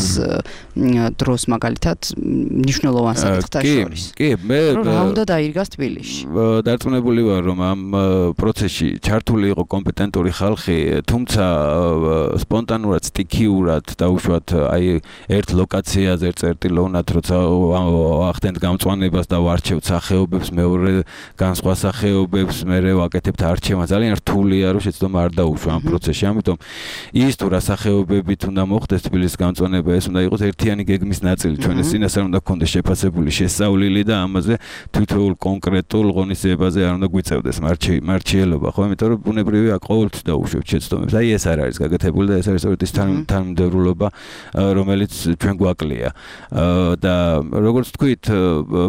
დროს მაგალითად მნიშვნელოვან საკითხთან შორის. კი, მე რა უნდა დაირგას თბილისში? დარწმუნებული ვარ, რომ ამ პროცესში ჩართული იყო კომპეტენტური ხალხი, თუმცა სპონტანურად, სტიქიურად დაუშვათ აი ერთ ლოკაციაზე ერთ წერტილოვნად, როცა ახდენთ გამწვანებას და ვარჩევთ სახეობებს, მეორე განსხვა სახეობებს, მერე ვაკეთებთ არჩევას, ძალიან რთულია, რომ შეცდომა არ დაუშვა ამ პროცესში. ამიტომ ის თუ რა სახეობებით უნდა მოხდეს თბილისის გამწვანება, ეს უნდა იყოს ერთიანი გეგმის ნაწილი. ჩვენ ეს წინასწარ უნდა გქონდეს შეფასებული შესწავლილი და ამაზე თითოეულ კონკრეტულ ღონისძიებაზე არ უნდა გვიწევდეს მარჩიელობა, ხო? იმიტომ რომ ბუნებრივია ყოველთვის დაუშვებთ შეცდომებს. აი ეს არ არის გაკეთებული და ეს არის სწორედ ის თანმიმდევრულობა, რომელიც ჩვენ გვაკლია. და როგორც თქვით,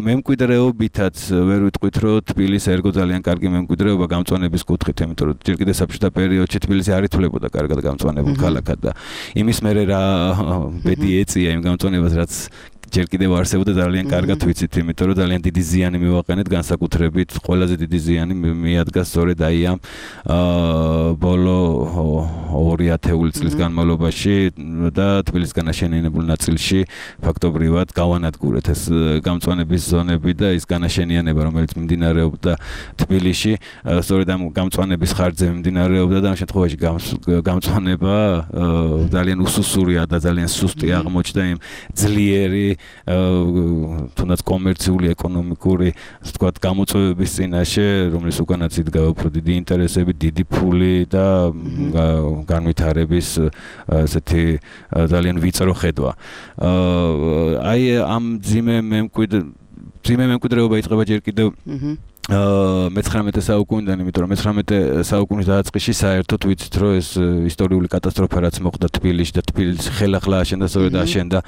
მემკვიდრეობითაც ვერ ვიტყვით, რომ თბილისი ერგო ძალიან კარგი მემკვიდრეობა გამწვანების კუთხით, იმიტომ რომ ჯერ კიდევ საბჭოთა პერიოდში თბილისი არ ითვლებოდა კარგად გამწვანებულ ქალაქად და იმის მერე რა ბედი ეწია იმ გამწვანებას, რაც ჯერ კიდევ არსებობდა ძალიან კარგად ვიცით, იმიტომ რომ ძალიან დიდი ზიანი მივაყენეთ, განსაკუთრებით ყველაზე დიდი ზიანი მიადგა სწორედ აი ამ ბოლო ორი ათეული წლის განმავლობაში და თბილისგან აშენიანებულ ნაწილში ფაქტობრივად გავანადგურეთ ეს გამწვანების ზონები და ის განაშენიანება, რომელიც მიმდინარეობდა თბილისში, სწორედ ამ გამწვანების ხარჯზე მიმდინარეობდა და ამ შემთხვევაში გამწვანება ძალიან უსუსურია და ძალიან სუსტი აღმოჩნდა იმ ძლიერი თუნდაც კომერციული, ეკონომიკური, ასე ვთქვათ, გამოწვევების წინაშე, რომლის უკანაც იდგა უფრო დიდი ინტერესები, დიდი ფული და განვითარების ესეთი ძალიან ვიწრო ხედვა. აი ამ ძიმე მემკვიდრე ძიმე მემკვიდრეობა იწყება ჯერ კიდევ მეცხრამეტე საუკუნიდან, იმიტომ რომ მეცხრამეტე საუკუნის დაწყისში საერთოდ ვიცით, რომ ეს ისტორიული კატასტროფა რაც მოხდა თბილისში და თბილისის ხელახლა აშენდა, სწორედ აშენდა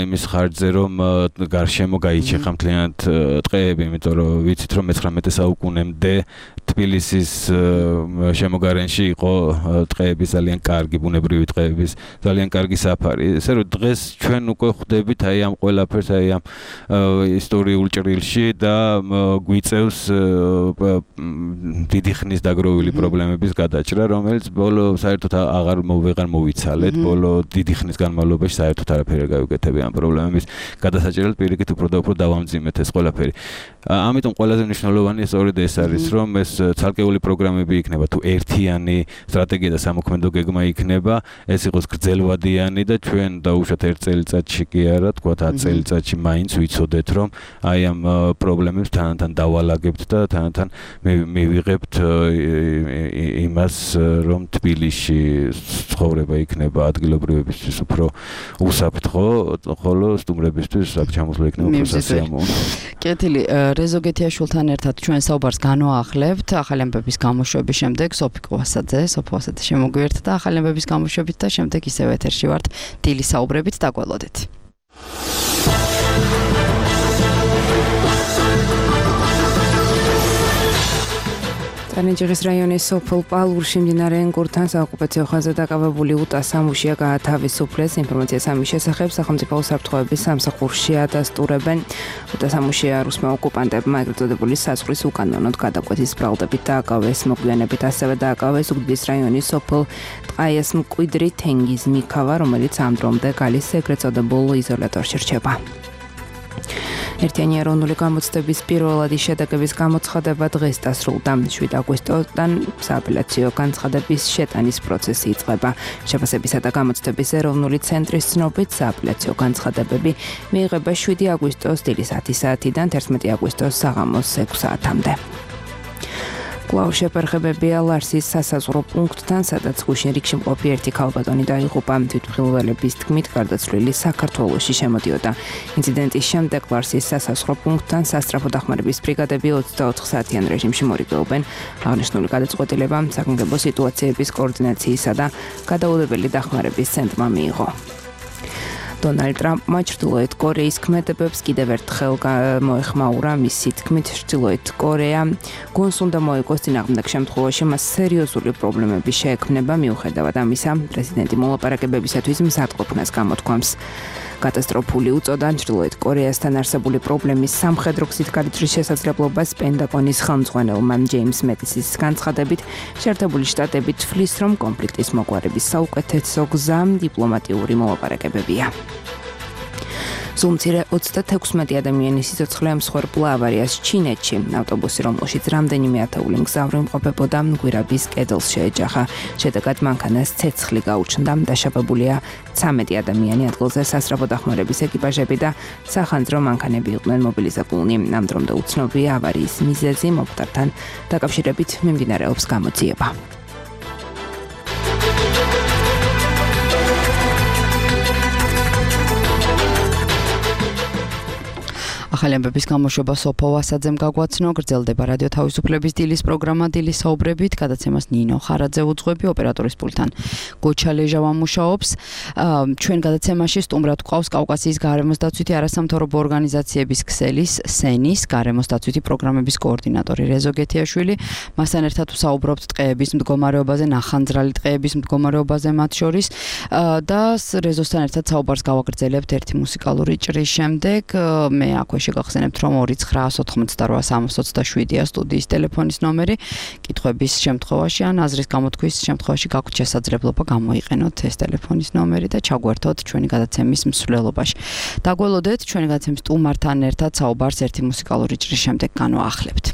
იმის ხარჯზე, რომ გარშემო გაიჩეხა მთლიანად ტყეები, იმიტომ რომ ვიცით, რომ მეცხრამეტე საუკუნემდე თბილისის შემოგარენში იყო ტყეების ძალიან კარგი, ბუნებრივი ტყეების ძალიან კარგი საფარი. ესე რომ დღეს ჩვენ უკვე ხვდებით აი ამ ყველაფერს, აი ამ ისტორიულ ჭრილში და გვიწევს დიდი ხნის დაგროვილი პრობლემების გადაჭრა, რომელიც ბოლო საერთოდ აღარ ვეღარ მოვიცალეთ, ბოლო დიდი ხნის განმავლობაში საერთოდ არაფერი არ გავიკეთებია ამ პრობლემების გადასაჭრელად, პირიქით უფრო და უფრო დავამძიმეთ ეს ყველაფერი. ამიტომ ყველაზე მნიშვნელოვანი სწორედ ეს არის, რომ ეს ცალკეული პროგრამები იქნება, თუ ერთიანი სტრატეგია და სამოქმედო გეგმა იქნება, ეს იყოს გრძელვადიანი და ჩვენ დაუშვათ ერთ წელიწადში კი არა, თქვათ ათ წელიწადში მაინც ვიცოდეთ, რომ აი ამ პრობლემებს თანათან დავალაგებთ და თანათან მივიღებთ იმას, რომ თბილისში ცხოვრება იქნება ადგილობრივებისთვის უფრო უსაფრთხო, ხოლო სტუმრებისთვის საფრთხე იქნება უფრო სასიამოვნო. კეთილი, რეზო გეთიაშვილთან ერთად ჩვენ საუბარს განვაახლებთ ახალი ამბების გამოშვების შემდეგ სოფი კვასაძე, სოფი კვასაძე შემოგვიერთდა და ახალი ამბების გამოშვებით და შემდეგ ისევ ეთერში ვართ დილის საუბრებით, დაგველოდეთ. ტანჯერის რაიონის სოფელ პალურში მდინარე ენგურთან საოკუპაციო ხაზზე დაკავებული უტა სამუშია გაათავისუფლეს. ინფორმაციას ამის შესახებ სახელმწიფო უსაფრთხოების სამსახურში ადასტურებენ. უტა სამუშია რუსმა ოკუპანტებმა ეგრეთ წოდებული საზღვრის უკანონოდ გადაკვეთის ბრალდებით დააკავეს. მოგვიანებით ასევე დააკავეს უგდის რაიონის სოფელ ტყაიას მკვიდრი თენგიზ მიქავა, რომელიც ამ დრომდე გალის ეგრეთ წოდებულ იზოლატორში რჩება. ერთიანი ეროვნული გამოცდების პირველადი შედეგების გამოცხადება დღეს დასრულდა. შვიდ აგვისტოდან სააპელაციო განცხადების შეტანის პროცესი იწყება. შეფასებისა და გამოცდების ეროვნული ცენტრის ცნობით სააპელაციო განცხადებები მიიღება შვიდი აგვისტოს დილის ათი საათიდან თერთმეტი აგვისტოს საღამოს ექვსი საათამდე. კვლავ შეფერხებებია ლარსის სასაზღვრო პუნქტთან, სადაც გუშინ რიგში მყოფი ერთი ქალბატონი დაიღუპა. თვითმხილველების თქმით, გარდაცვლილი საქართველოში შემოდიოდა. ინციდენტის შემდეგ ლარსის სასაზღვრო პუნქტთან სასწრაფო დახმარების ბრიგადები ოცდაოთხ საათიან რეჟიმში მორიგეობენ. აღნიშნული გადაწყვეტილება საგანგებო სიტუაციების კოორდინაციისა და გადაუდებელი დახმარების ცენტრმა მიიღო. დონალდ ტრამპმა ჩრდილოეთ კორეის ქმედებებს კიდევ ერთხელ მოეხმაურა. მისი თქმით, ჩრდილოეთ კორეა გონს უნდა მოიგოს წინააღმდეგ შემთხვევაში მას სერიოზული პრობლემები შეექმნება. მიუხედავად ამისა, პრეზიდენტი მოლაპარაკებებისათვის მზადყოფნას გამოთქვამს. კატასტროფული უწოდა ჩრდილოეთ კორეასთან არსებული პრობლემის სამხედრო გზით გადაჭრის შესაძლებლობას პენტაგონის ხელმძღვანელმა ჯეიმს მეტისის განცხადებით, შეერთებული შტატები თვლის, რომ კონფლიქტის მოგვარების საუკეთესო გზა დიპლომატიური მოლაპარაკებებია. ზუმცირე ოცდათექვსმეტი ადამიანის სიცოცხლე მსხვერპლა ავარიას ჩინეთში. ავტობუსი, რომელშიც რამდენიმე ათეული მგზავრი იმყოფებოდა, გვირაბის კედელს შეეჯახა. შედეგად მანქანას ცეცხლი გაუჩნდა. დაშავებულია ცამეტი ადამიანი. ადგილზე სასწრაფო დახმარების ეკიპაჟები და სახანძრო მანქანები იყვნენ მობილიზებულნი. ამ დრომდე უცნობია ავარიის მიზეზი. მომხდართან დაკავშირებით მიმდინარეობს გამოძიება. ახალი ამბების გამოშვება სოფო ვასაძემ გაგვაცნო. გრძელდება რადიო თავისუფლების დილის პროგრამა დილის საუბრებით. გადაცემას ნინო ხარაძე უძღვები, ოპერატორის პულტთან გოჩა ლეჟავა მუშაობს. ჩვენ გადაცემაში სტუმრად გვყავს კავკასიის გარემოს დაცვითი არასამთავრობო ორგანიზაციების ქსელის სენის გარემოს დაცვითი პროგრამების კოორდინატორი რეზო გეთიაშვილი. მასთან ერთად ვსაუბრობთ ტყეების მდგომარეობაზე, ნახანძრალი ტყეების მდგომარეობაზე მათ შორის და რეზოსთან ერთად საუბარს გავაგრძელებთ ერთი მუსიკალური ჭრის შემდეგ. მე აქვე შეგახსენებთ, რომ ორი ცხრა ოთხმოცდარვა სამას ოცდაშვიდია სტუდიის ტელეფონის ნომერი. კითხვების შემთხვევაში ან აზრის გამოთქვის შემთხვევაში გაქვთ შესაძლებლობა გამოიყენოთ ეს ტელეფონის ნომერი და ჩაგვერთოთ ჩვენი გადაცემის მსვლელობაში. დაგველოდეთ ჩვენი გადაცემის სტუმართან ერთად საუბარს ერთი მუსიკალური ჭრის შემდეგ განვაახლებთ.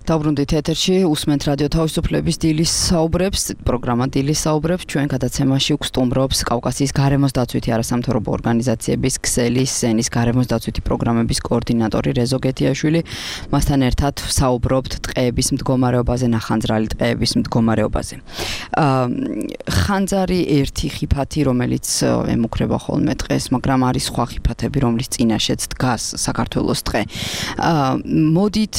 დაუბრუნდით ეთერში, უსმენთ რადიო თავისუფლების დილის საუბრებს, პროგრამა დილის საუბრებს, ჩვენ გადაცემაში გვსტუმრობს კავკასიის გარემოს დაცვითი არასამთავრობო ორგანიზაციების ქსელის სენის გარემოს დაცვითი პროგრამების კოორდინატორი რეზო გეთიაშვილი. მასთან ერთად საუბრობთ ტყეების მდგომარეობაზე, ნახანძრალი ტყეების მდგომარეობაზე. ხანძარი ერთი ხიფათი, რომელიც ემუქრება ხოლმე ტყეს, მაგრამ არის სხვა ხიფათები, რომლის წინაშეც დგას საქართველოს ტყე. მოდით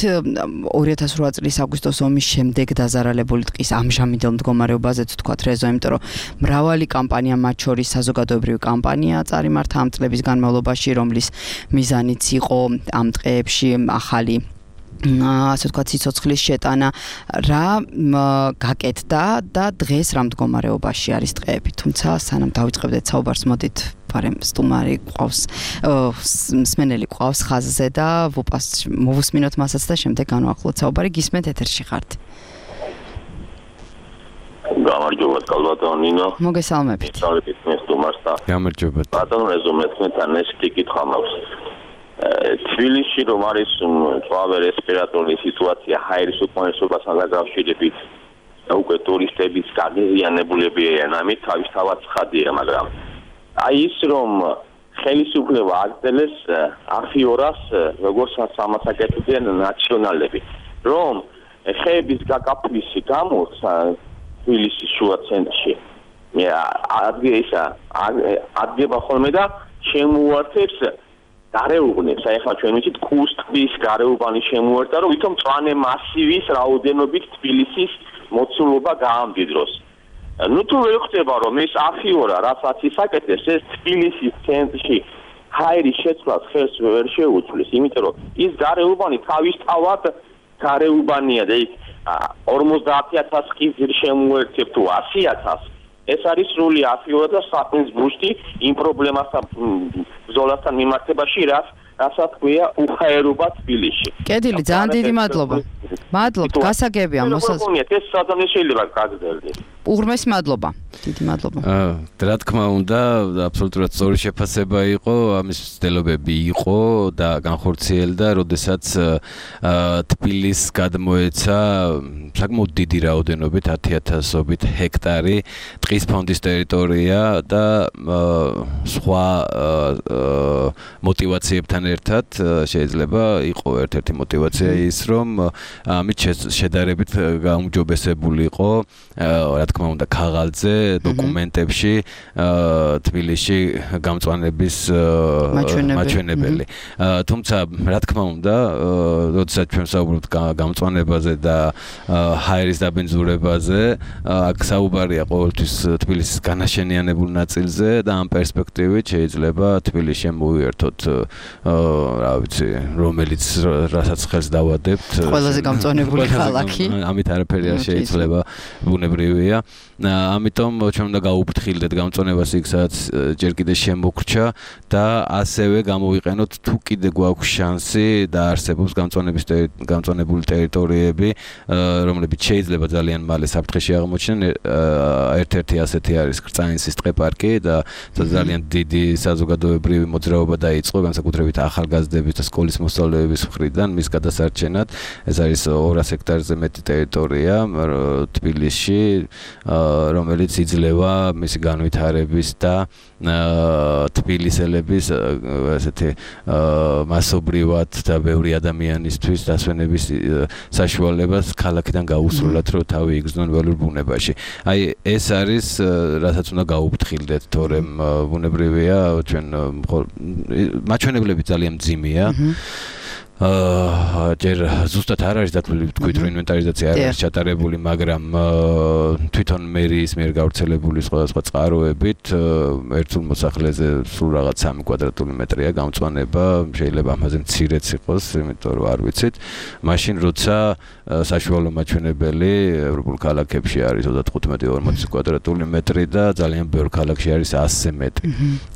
ორი ათას რვა წლის აგვისტოს ომის შემდეგ დაზარალებული ტყის ამჟამინდელ მდგომარეობაზეც ვთქვათ რეზო, იმიტომ რომ მრავალი კამპანია, მათ შორის საზოგადოებრივი კამპანია წარიმართა ამ წლების განმავლობაში, რომლის მიზანიც იყო ამ ტყეებში ახალი ასე ვთქვათ სიცოცხლის შეტანა, რა გაკეთდა და დღეს რა მდგომარეობაში არის ტყეები. თუმცა სანამ დავიწყებდეთ საუბარს, მოდით პარემ სტუმარი ყავს, მსმენელი ყავს ხაზზე და ვუპას მოვუსმინოთ მასაც და შემდეგ განვახლოთ საუბარი. გისმენთ, ეთერში ხართ. გამარჯობა კალბატონ ნინო. მოგესალმებით. მოგესალმებით მე სტუმარს და გამარჯობა. ბატონ რეზო მეთქნეთან ეს კითხვა მაქვს. თბილისში რომ არის წვავე რესპირატორული სიტუაცია ჰაერის უკმარისობასთან დაკავშირებით და უკვე ტურისტების გაღიზიანებულები არიან, ამით თავისთავად ცხადია, მაგრამ აი ის რომ ხელისუფლება აგრძელეს აფიორას როგორც სამასაკეთებიან ნაციონალები, რომ ხეების გაკაფვის გამო თბილისის შუა ცენტრში ადგება ადგება ხოლმე და შემოუართებს გარეუბნებს, აი ახლა ჩვენ ვიცით კუსტის გარეუბანი შემოერთა, რომ ვითომ მწვანე მასივის რაოდენობით თბილისის მოცულობა გაამდიდროს. ნუ თუ ვერ ხდება რომ ეს აფიორა რასაც ისაკეთებს, ეს თბილისის ცენტრში ჰაერის შეცვლას ხელს ვერ შეუწვლის, იმიტომ რომ ის გარეუბანი თავისთავად გარეუბანია და იქ ორმოცდაათი ათასი ხიზი შემოერთებ თუ ასი ათასი. ეს არის სრული აფიორა და საქმის ბუშტი იმ პრობლემასთან ბრძოლასთან მიმართებაში, რაც რასაც ქვია უხაერობა თბილისში. კედილი, ძალიან დიდი მადლობა. მადლობთ, გასაგებია მოსაზრება. ეს სადღაც შეიძლება გაგრძელდეს. უღრმესი მადლობა. დიდი მადლობა. აა, რა თქმა უნდა, აბსოლუტურად სწორი შეფასება იყო, ამის ცდილობები იყო და განხორციელდა, როდესაც აა თბილის გადმოეცა საკმაოდ დიდი რაოდენობით ათი ათასობით ჰექტარი ტყის ფონდის ტერიტორია და სხვა მოტივაციებთან ერთად შეიძლება იყო ერთ-ერთი მოტივაცია ის, რომ ამით შედარებით გაუმჯობესებული იყო, რა თქმა უნდა, ქაღალდზე, დოკუმენტებში თბილისში გამწვანების მაჩვენებელი. თუმცა, რა თქმა უნდა, როდესაც ჩვენ საუბრობთ გამწვანებაზე და ჰაერის დაბინძურებაზე, აქ საუბარია ყოველთვის თბილისის განაშენიანებულ ნაწილზე და ამ პერსპექტივით შეიძლება თბილისში მოვიერთოთ, რა ვიცი, რომელიც რასაც ხელს დავადებთ. ყველაზე გამწვანებული ქალაქი. ამით არაფერი არ შეიძლება, ბუნებრივია. ამიტომ ჩვენ უნდა გაუფრთხილდეთ გამწონებას იქ სადაც ჯერ კიდე შემოგრჩა და ასევე გამოვიყენოთ თუ კიდე გვაქვს შანსი და არსებობს გამწონების გამწონებული ტერიტორიები რომლებიც შეიძლება ძალიან მალე საფრთხეში აღმოჩნდნენ ერთ-ერთი ასეთი არის კრწანისის ტყეპარკი და ძალიან დიდი საზოგადოებრივი მოძრაობა დაიწყო განსაკუთრებით ახალგაზრდების და სკოლის მოსწავლეების მხრიდან მის გადასარჩენად ეს არის ორას ჰექტარზე მეტი ტერიტორია თბილისში რომელიც იძლევა მისი განვითარების და თბილისელების ესეთი მასობრივად და ბევრი ადამიანისთვის დასვენების საშუალებას ქალაქიდან გაუსროლათ რომ თავი იგრძნონ ველურ ბუნებაში. აი ეს არის რასაც უნდა გაუფრთხილდეთ, თორემ ბუნებრივია ჩვენ მაჩვენებლები ძალიან მძიმეა. აა ჯერ ზუსტად არ არის დათვლილი თქვით რომ ინვენტარიზაცია არ არის ჩატარებული, მაგრამ თვითონ მერიის მიერ გავრცელებული სხვადასხვა წყაროებით ერთულ მოსახლეზე სულ რაღაც სამი კვადრატული მეტრია გამწვანება, შეიძლება ამაზე მცირეც იყოს, იმიტომ რომ არ ვიცით. მაშინ როცა საშუალო მაჩვენებელი ევროპულ ქალაქებში არის ოცდათხუთმეტი ორმოცი კვადრატული მეტრი და ძალიან ბევრ ქალაქში არის ასზე მეტი.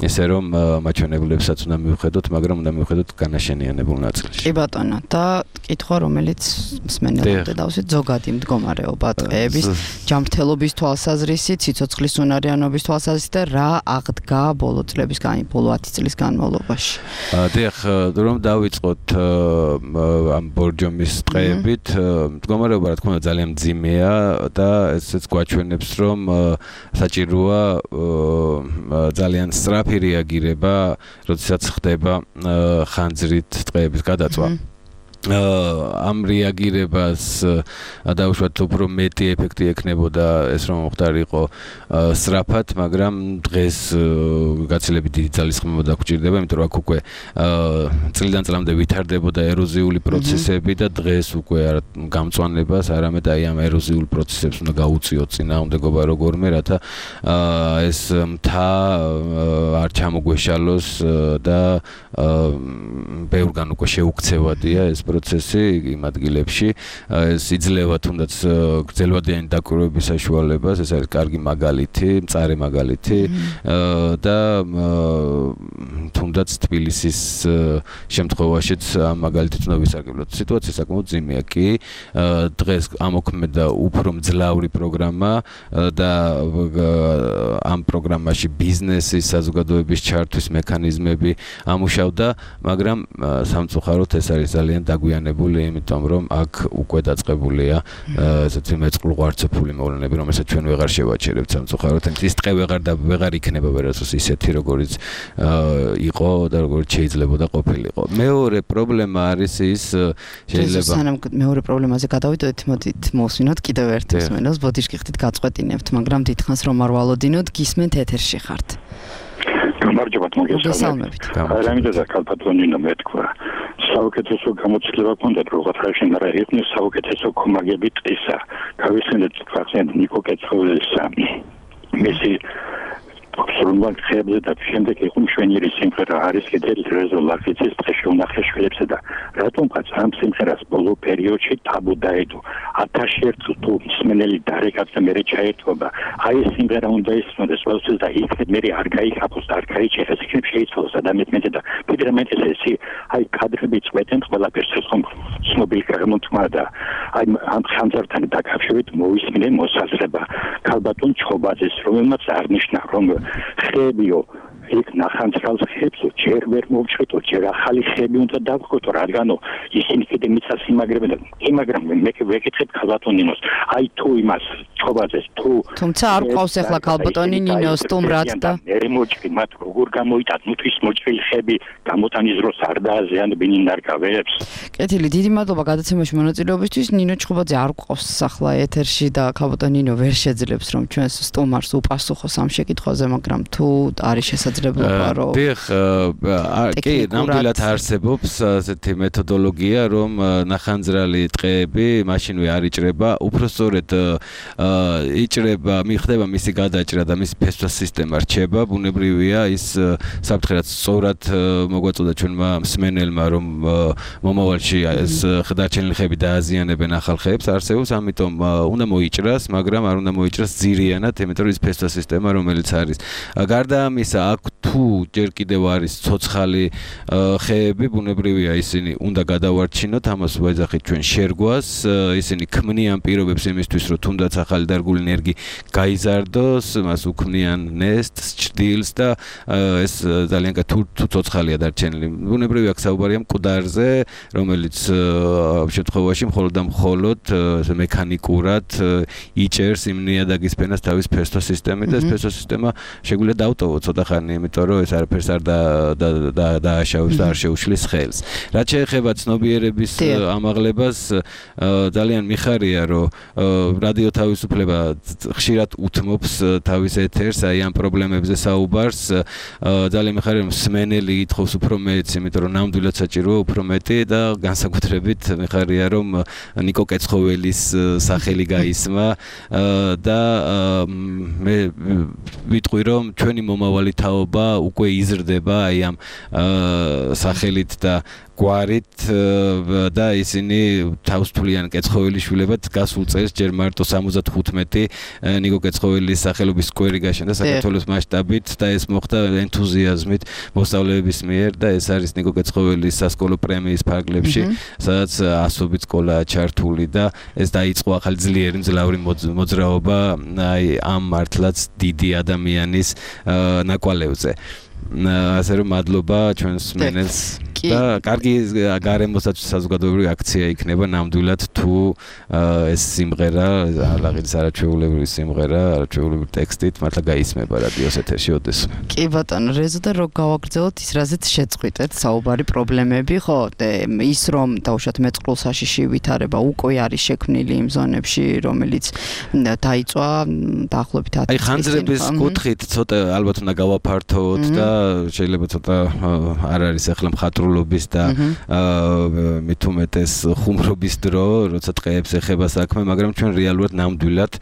ესე რომ მაჩვენებლებსაც უნდა მივხედოთ, მაგრამ უნდა მივხედოთ განაშენიანებულ ნაწილში. ბატონო და კითხვა რომელიც მსმენელობთ დავსვით ზოგადი მდგომარეობა ტყეების ჯანმრთელობის თვალსაზრისით, სიცოცხლის უნარიანობის თვალსაზრისით და რა აღდგა ბოლო წლების განმავლობაში, ბოლო ათი წლის განმავლობაში. დიახ, რომ დავიწყოთ ამ ბორჯომის ტყეებით, მდგომარეობა რა თქმა უნდა ძალიან მძიმეა და ესეც გვაჩვენებს რომ საჭიროა ძალიან სწრაფი რეაგირება, როდესაც ხდება ხანძრით ტყეების გადაწვა. ამ რეაგირებას დაუშვათ უფრო მეტი ეფექტი ექნებოდა ეს რომ მოხდარიყო სწრაფად, მაგრამ დღეს გაცილებით დიდი ძალისხმევა დაგჭირდება, იმიტომ რომ აქ უკვე წლიდან წლამდე ვითარდებოდა ეროზიული პროცესები და დღეს უკვე გამწვანებას არამედ აი ამ ეროზიულ პროცესებს უნდა გაუწიოთ წინააღმდეგობა როგორმე, რათა ეს მთა არ ჩამოგვეშალოს და ბევრგან უკვე შეუქცევადია ეს პროცესი იმ ადგილებში, ეს იძლევა თუნდაც გრძელვადიანი დაკვირვების საშუალებას, ეს არის კარგი მაგალითი, მწარე მაგალითი და თუნდაც თბილისის შემთხვევაშიც ამ მაგალითით უნდა ვისარგებლოთ. სიტუაცია საკმაოდ ძიმეა კი, დღეს ამოქმედა უფრო მძლავრი პროგრამა და ამ პროგრამაში ბიზნესის, საზოგადოების ჩართვის მექანიზმები ამუშავდა, მაგრამ სამწუხაროდ ეს არის ძალიან დაგვიანებული, იმიტომ რომ აქ უკვე დაწყებულია ესეთი მეწყლუ ღვარცოფული მოვლენები, რომელსაც ჩვენ ვეღარ შევაჩერებთ სამწუხაროდ. ეს ტყე ვეღარ და ვეღარ იქნება ვერასდროს ისეთი, როგორიც იყო და როგორც შეიძლება და ყოფილიყო. მეორე პრობლემა არის ის შეიძლება სანამ მეორე პრობლემაზე გადავიდოდეთ, მოდით მოვსვინოთ კიდევ ერთ მსმენელს, ბოდიშკი ხდით გაწყვეტინებთ, მაგრამ დიდხანს რომ არ ვალოდინოთ, გისმენთ ეთერში ხართ. გამარჯობათ, მოგესალმებით. რამიდაზე კალპატონინო მეთქვა. საუკეთესო გამოცდილება გქონდათ როგორ ხარშენ არა იხნის საუკეთესო კომაგები ტყისა. გავიხსენეთ თქვენ ნიკო კეცხოველისა. მისი აბსოლუტურად ხებზე და შემდეგ იყო მშვენიერი სიმღერა არის კიდევ რეზოლუციის ტყეში უნახე შვილებსა და რატომღაც ამ სიმღერას ბოლო პერიოდში თაბუ დაედო. ათასი ერთ თუ მსმენელი დარეკაც და მე ჩაერთვება. აი ეს სიმღერა უნდა ისმოდეს ყველთვის და იქნებ მე არ გაიქაფოს და არ გაიჩეხეს იქნებ შეიცვალოს ადამიანმეთე და ფიდრემენტის ესი აი კადრები წვეთენ ყველაფერს ეს ხომ ცნობილი გამოტმა და აი ამ ხანძართან დაკავშირებით მოვისმინე მოსაზრება ქალბატონ ჩხობაძეს რომელმაც აღნიშნა რომ ხებიო იქ ნახანძრალს ხებს ჯერ ვერ მოვჭრიტო, ჯერ ახალი ხები უნდა დავხოთ, რადგანო ისინი კიდე მიწას იმაგრებენ და იმაგრებენ მე ვეკითხებ ქალბატონინოს, აი თუ იმას ჩხობაძეს თუ თუმცა არ ყავს ახლა ქალბატონი ნინოს სტუმრად და მე მოჭრი მათ როგორ გამოიტან, ნუ თვის მოჭრილი ხები გამოტანის დროს არ დააზიანებინ ნარგავებს. კეთილი, დიდი მადლობა გადაცემაში მონაწილეობისთვის. ნინო ჩხობაძე არ ყავს ახლა ეთერში და ქალბატონინო ვერ შეძლებს რომ ჩვენს სტუმარს უპასუხოს ამ შეკითხვაზე, მაგრამ თუ არის შესაძლებელი შესაძლებლობა რომ დიახ, კი, ნამდვილად არსებობს ასეთი მეთოდოლოგია, რომ ნახანძრალი ტყეები მაშინვე არ იჭრება, უпростоრედ იჭრება, მიხდება მისი გადაჭრა და მისი ფესვას სისტემა რჩება, ბუნებრივია ის საფრთხე რაც სწორად მოგვაწოდა ჩვენმა მსმენელმა, რომ მომავალში ეს დარჩენილი ხეები დააზიანებენ ახალ ხეებს, არსებობს, ამიტომ უნდა მოიჭრას, მაგრამ არ უნდა მოიჭრას ძირიანად, იმიტომ რომ ის ფესვას სისტემა, რომელიც არის. გარდა ამისა, აქ თუ ჯერ კიდევ არის ცოცხალი ხეები, ბუნებრივია ისინი უნდა გადავარჩინოთ, ამას ვეძახით ჩვენ შერგვას, ისინი ქმნიან პირობებს იმისთვის, რომ თუნდაც ახალი დარგული ენერგი გაიზარდოს, მას უქმნიან ნესტს, ჭრდილს და ეს ძალიან თუ ცოცხალია დარჩენილი. ბუნებრივია აქ საუბარია მკვდარზე, რომელიც შემთხვევაში მხოლოდ და მხოლოდ მექანიკურად იჭერს იმ ნიადაგის ფენას თავის ფესვას სისტემით და ეს ფესვას სისტემა შეგვიძლია დავტოვოთ ცოტა ხანი, იმიტომ რომ ეს არაფერს არ დააშავებს და არ შეუშლის ხელს. რაც შეეხება ცნობიერების ამაღლებას, ძალიან მიხარია, რომ რადიო თავისუფლება ხშირად უთმობს თავის ეთერს აი ამ პრობლემებზე საუბარს. ძალიან მიხარია, რომ მსმენელი ითხოვს უფრო მეტს, იმიტომ რომ ნამდვილად საჭიროა უფრო მეტი და განსაკუთრებით მიხარია, რომ ნიკო კეცხოველის სახელი გაისმა და მე ვიტყვი, რომ ჩვენი მომავალი თაობა უკვე იზრდება აი ამ სახელით და გვარით და ისინი თავისუფლიან კეცხოველიშვილებად გასულ წელს ჯერ მარტო სამოცდახუთმეტი ნიკო კეცხოველის სახელობის სკვერი გაშენდა საქართველოს მასშტაბით და ეს მოხდა ენთუზიაზმით მოსწავლეების მიერ და ეს არის ნიკო კეცხოველის სასკოლო პრემიის ფარგლებში, სადაც ასობით სკოლაა ჩართული და ეს დაიწყო ახალი ძლიერი მძლავრი მოძრაობა აი ამ მართლაც დიდი ადამიანის ნაკვალევზე. ასე რომ მადლობა ჩვენს მსმენელს და კარგი გარემოსაც საზოგადოებრივი აქცია იქნება ნამდვილად თუ ეს სიმღერა ალაღიძის არაჩვეულებრივი სიმღერა არაჩვეულებრივი ტექსტით მართლა გაისმება რადიოს ეთერში ოდესმე. კი ბატონო, რეზო და რო გავაგრძელოთ ის რაზეც შეწყვიტეთ საუბარი პრობლემები, ხო, ის რომ დაუშვათ მეწყრულ საშიში ვითარება უკვე არის შექმნილი იმ ზონებში, რომელიც დაიწვა დაახლოებით ათი წლის წინ. აი ხანძრების კუთხით ცოტა ალბათ უნდა გავაფართოვოთ და შეიძლება ცოტა არ არის ახლა მხატვრულობის და მით უმეტეს ხუმრობის დრო, როცა ტყეებს ეხება საქმე, მაგრამ ჩვენ რეალურად ნამდვილად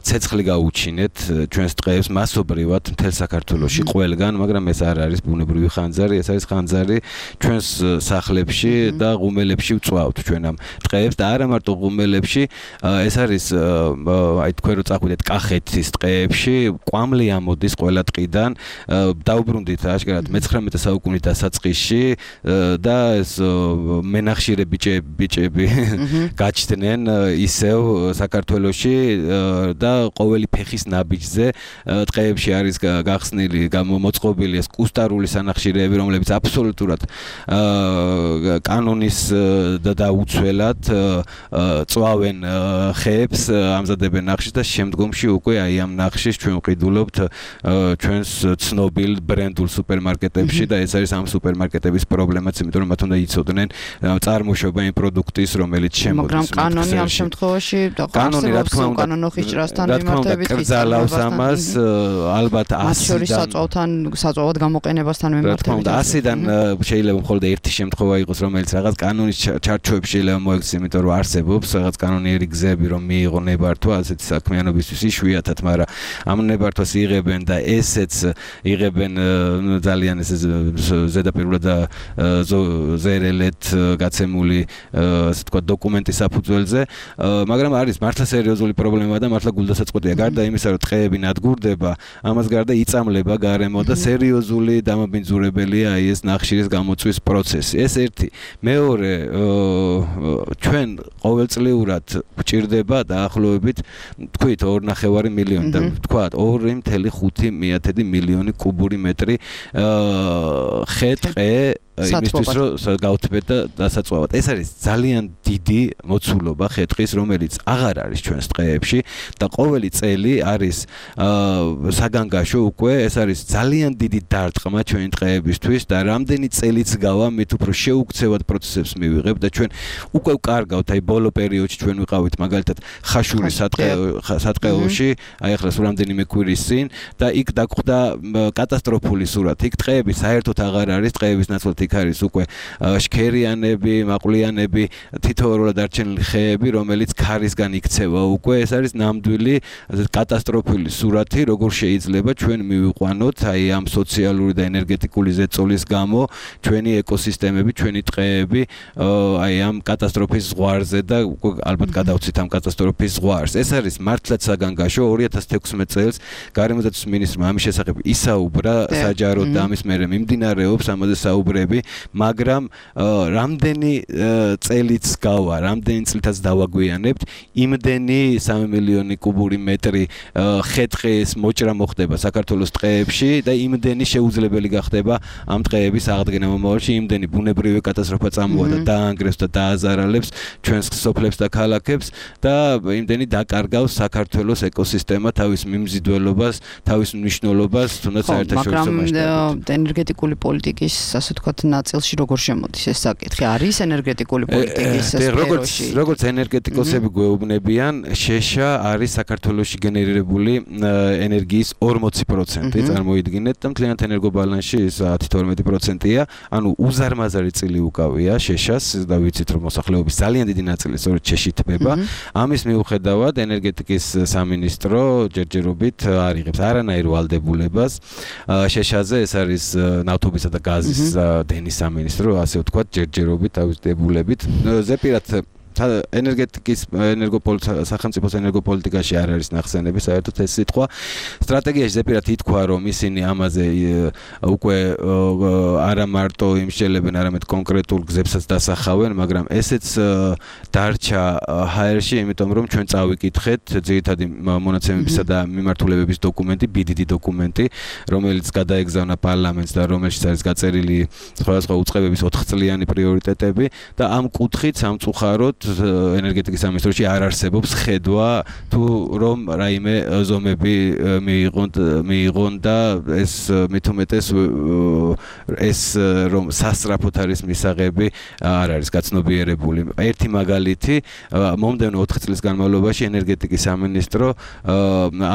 ცეცხლი გაუჩინეთ ჩვენს ტყეებს მასობრივად მთელ საქართველოში ყველგან, მაგრამ ეს არ არის ბუნებრივი ხანძარი, ეს არის ხანძარი ჩვენს სახლებში და ღუმელებში ვწვავთ ჩვენ ამ ტყეებს და არა მარტო ღუმელებში, ეს არის აი თქვენ რო წახვიდეთ კახეთის ტყეებში, კვამლი ამოდის ყველა ტყიდან, დაუბრუნდით აშკარად მეცხრამეტე საუკუნის დასაწყისში და ეს მენახშირე ბიჭები გაჩნდნენ ისევ საქართველოში და ყოველი ფეხის ნაბიჯზე ტყეებში არის გახსნილი, მოწყობილი ეს კუსტარული სანახშირეები, რომლებიც აბსოლუტურად კანონის და დაუცველად წვავენ ხეებს, ამზადებენ ნახშირს და შემდგომში უკვე აი ამ ნახშირს ჩვენ ვყიდულობთ ჩვენს ცნობილ ბრენდულ სუპერმარკეტებში და ეს არის ამ სუპერმარკეტების პრობლემაც, იმიტომ რომ მათ უნდა იცოდნენ წარმოშობა იმ პროდუქტის, რომელიც შემოდის. მაგრამ კანონი ამ შემთხვევაში კანონი რა თქმა უნდა კანონო ხიჭრასთან მიმართებით კრძალავს ამას, ალბათ ასიდან საწვავთან საწვავად გამოყენებასთან მიმართებით. რა თქმა უნდა ასიდან შეიძლება მხოლოდ ერთი შემთხვევა იყოს, რომელიც რაღაც კანონის ჩარჩოებში შეიძლება მოექცეს, იმიტომ რომ არსებობს რაღაც კანონიერი გზები, რომ მიიღო ნებართვა ასეთი საქმიანობისთვის იშვიათად, მაგრამ ამ ნებართვას იღებენ და ესეც იღებენ ძალიან ესე ზედაპირულად და ზერელეთ გაცემული ასე თქვა დოკუმენტის საფუძველზე, მაგრამ არის მართლა სერიოზული პრობლემა და მართლა გულდასაწყვეტია. გარდა იმისა, რომ ტყეები ნადგურდება, ამას გარდა იწამლება გარემო და სერიოზული დამაბინძურებელია აი ეს ნახშირის გამოწვის პროცესი. ეს ერთი. მეორე, ჩვენ ყოველწლიურად გვჭირდება დაახლოებით თქვით ორი ნახევარი მილიონი და თქვა ორი ხუთი მილიონი კუბური მეტრი ხე ტყე იმისთვის რომ გავთბეთ და დასაწვავად. ეს არის ძალიან დიდი მოცულობა ხეთხის, რომელიც აღარ არის ჩვენს დღეებში და ყოველი წელი არის საგანგაშო უკვე, ეს არის ძალიან დიდი დარტყმა ჩვენი დღეებისთვის და რამდენი წელიც გავა, მით უფრო შეუქცევად პროცესებს მივიღებ და ჩვენ უკვე ვკარგავთ, აი ბოლო პერიოდში ჩვენ ვიყავით მაგალითად ხაშურის სატყეოში, აი ახლა სულ რამდენიმე კვირის წინ და იქ დაგხვდა კატასტროფული სურათი. იქ ტყეები საერთოდ აღარ არის, ტყეების ნაცვლად იქ არის უკვე შქერიანები, მაყვლიანები, თითოეულად დარჩენილი ხეები, რომელიც ქარისგან იქცევა უკვე. ეს არის ნამდვილი კატასტროფული სურათი, როგორ შეიძლება ჩვენ მივიყვანოთ აი ამ სოციალური და ენერგეტიკული ზეწოლის გამო ჩვენი ეკოსისტემები, ჩვენი ტყეები აი ამ კატასტროფის ზღვარზე და ალბათ გადავცით ამ კატასტროფის ზღვარს. ეს არის მართლაც საგანგაშო. ორი ათას თექვსმეტ წელს გარემოდაცვის მინისტრმა ამის შესახებ ისაუბრა საჯაროდ და ამის მერე მიმდინარეობს ამაზე საუბრები, მაგრამ რამდენი წელიც გავა, რამდენი წლითაც დავაგვიანებთ, იმდენი სამი მილიონი კუბური მეტრი ხეთხის მოჭრა მოხდება საქართველოს ტყეებში და იმდენი შეუძლებელი გახდება ამ ტყეების აღდგენა მომავალში, იმდენი ბუნებრივი კატასტროფა წამოვა და დაანგრევს და დააზარალებს ჩვენს სოფლებს და ქალაქებს და იმდენი დაკარგავს საქართველოს ეკოსისტემა თავის მიმზიდველობას, თავის მნიშვნელობას, თუნდაც საერთაშორისო მასშტაბით. ენერგეტიკული პოლიტიკის, ასე ვთქვათ, ნაწილში როგორ შემოდის ეს საკითხი? არის ენერგეტიკული პოლიტიკის სფეროში? როგორც ენერგეტიკოსები გვეუბნებიან, შეშა არის საქართველოში გენერირებული ენერგიის ორმოცი პროცენტი, წარმოიდგინეთ და მთლიანად ენერგობალანსში ის ათი თორმეტი პროცენტია, ანუ უზარმაზარი წილი უკავია შეშას და ვიცით რომ მოსახლეობის ძალიან დიდი ნაწილი სწორედ შეში თბება. ამის მიუხედავად ენერგეტიკის სამინისტრო ჯერჯერობით არ იღებს არანაირ ვალდებულებას შეშაზე. ეს არის ნავთობისა და გაზის დენის სამინისტრო, ასე ვთქვათ, ჯერჯერობით თავის დებულებით. ზეპირად ენერგეტიკის ენერგოპოლიტიკა სახელმწიფოს ენერგოპოლიტიკაში არ არის ნახსენები საერთოდ ეს სიტყვა. სტრატეგიაში ზეპირად ითქვა რომ ისინი ამაზე უკვე არა მარტო იმსჯელებენ, არამედ კონკრეტულ გზებსაც დასახავენ, მაგრამ ესეც დარჩა ჰაერში, იმიტომ რომ ჩვენ წავიკითხეთ ძირითადი მონაცემებისა და მიმართულებების დოკუმენტი, ბიდიდი დოკუმენტი, რომელიც გადაეგზავნა პარლამენტს და რომელშიც არის გაწერილი სხვადასხვა უწყებების ოთხ წლიანი პრიორიტეტები და ამ კუთხით სამწუხაროდ ენერგეტიკის სამინისტროში არ არსებობს ხედვა თუ რომ რაიმე ზომები მიიღონ მიიღონ და ეს მithumetes ეს რომ სასწრაფოდ არის მისაღები არ არის გაცნობიერებული. ერთი მაგალითი, მომდევნო ოთხ წლის განმავლობაში ენერგეტიკის სამინისტრო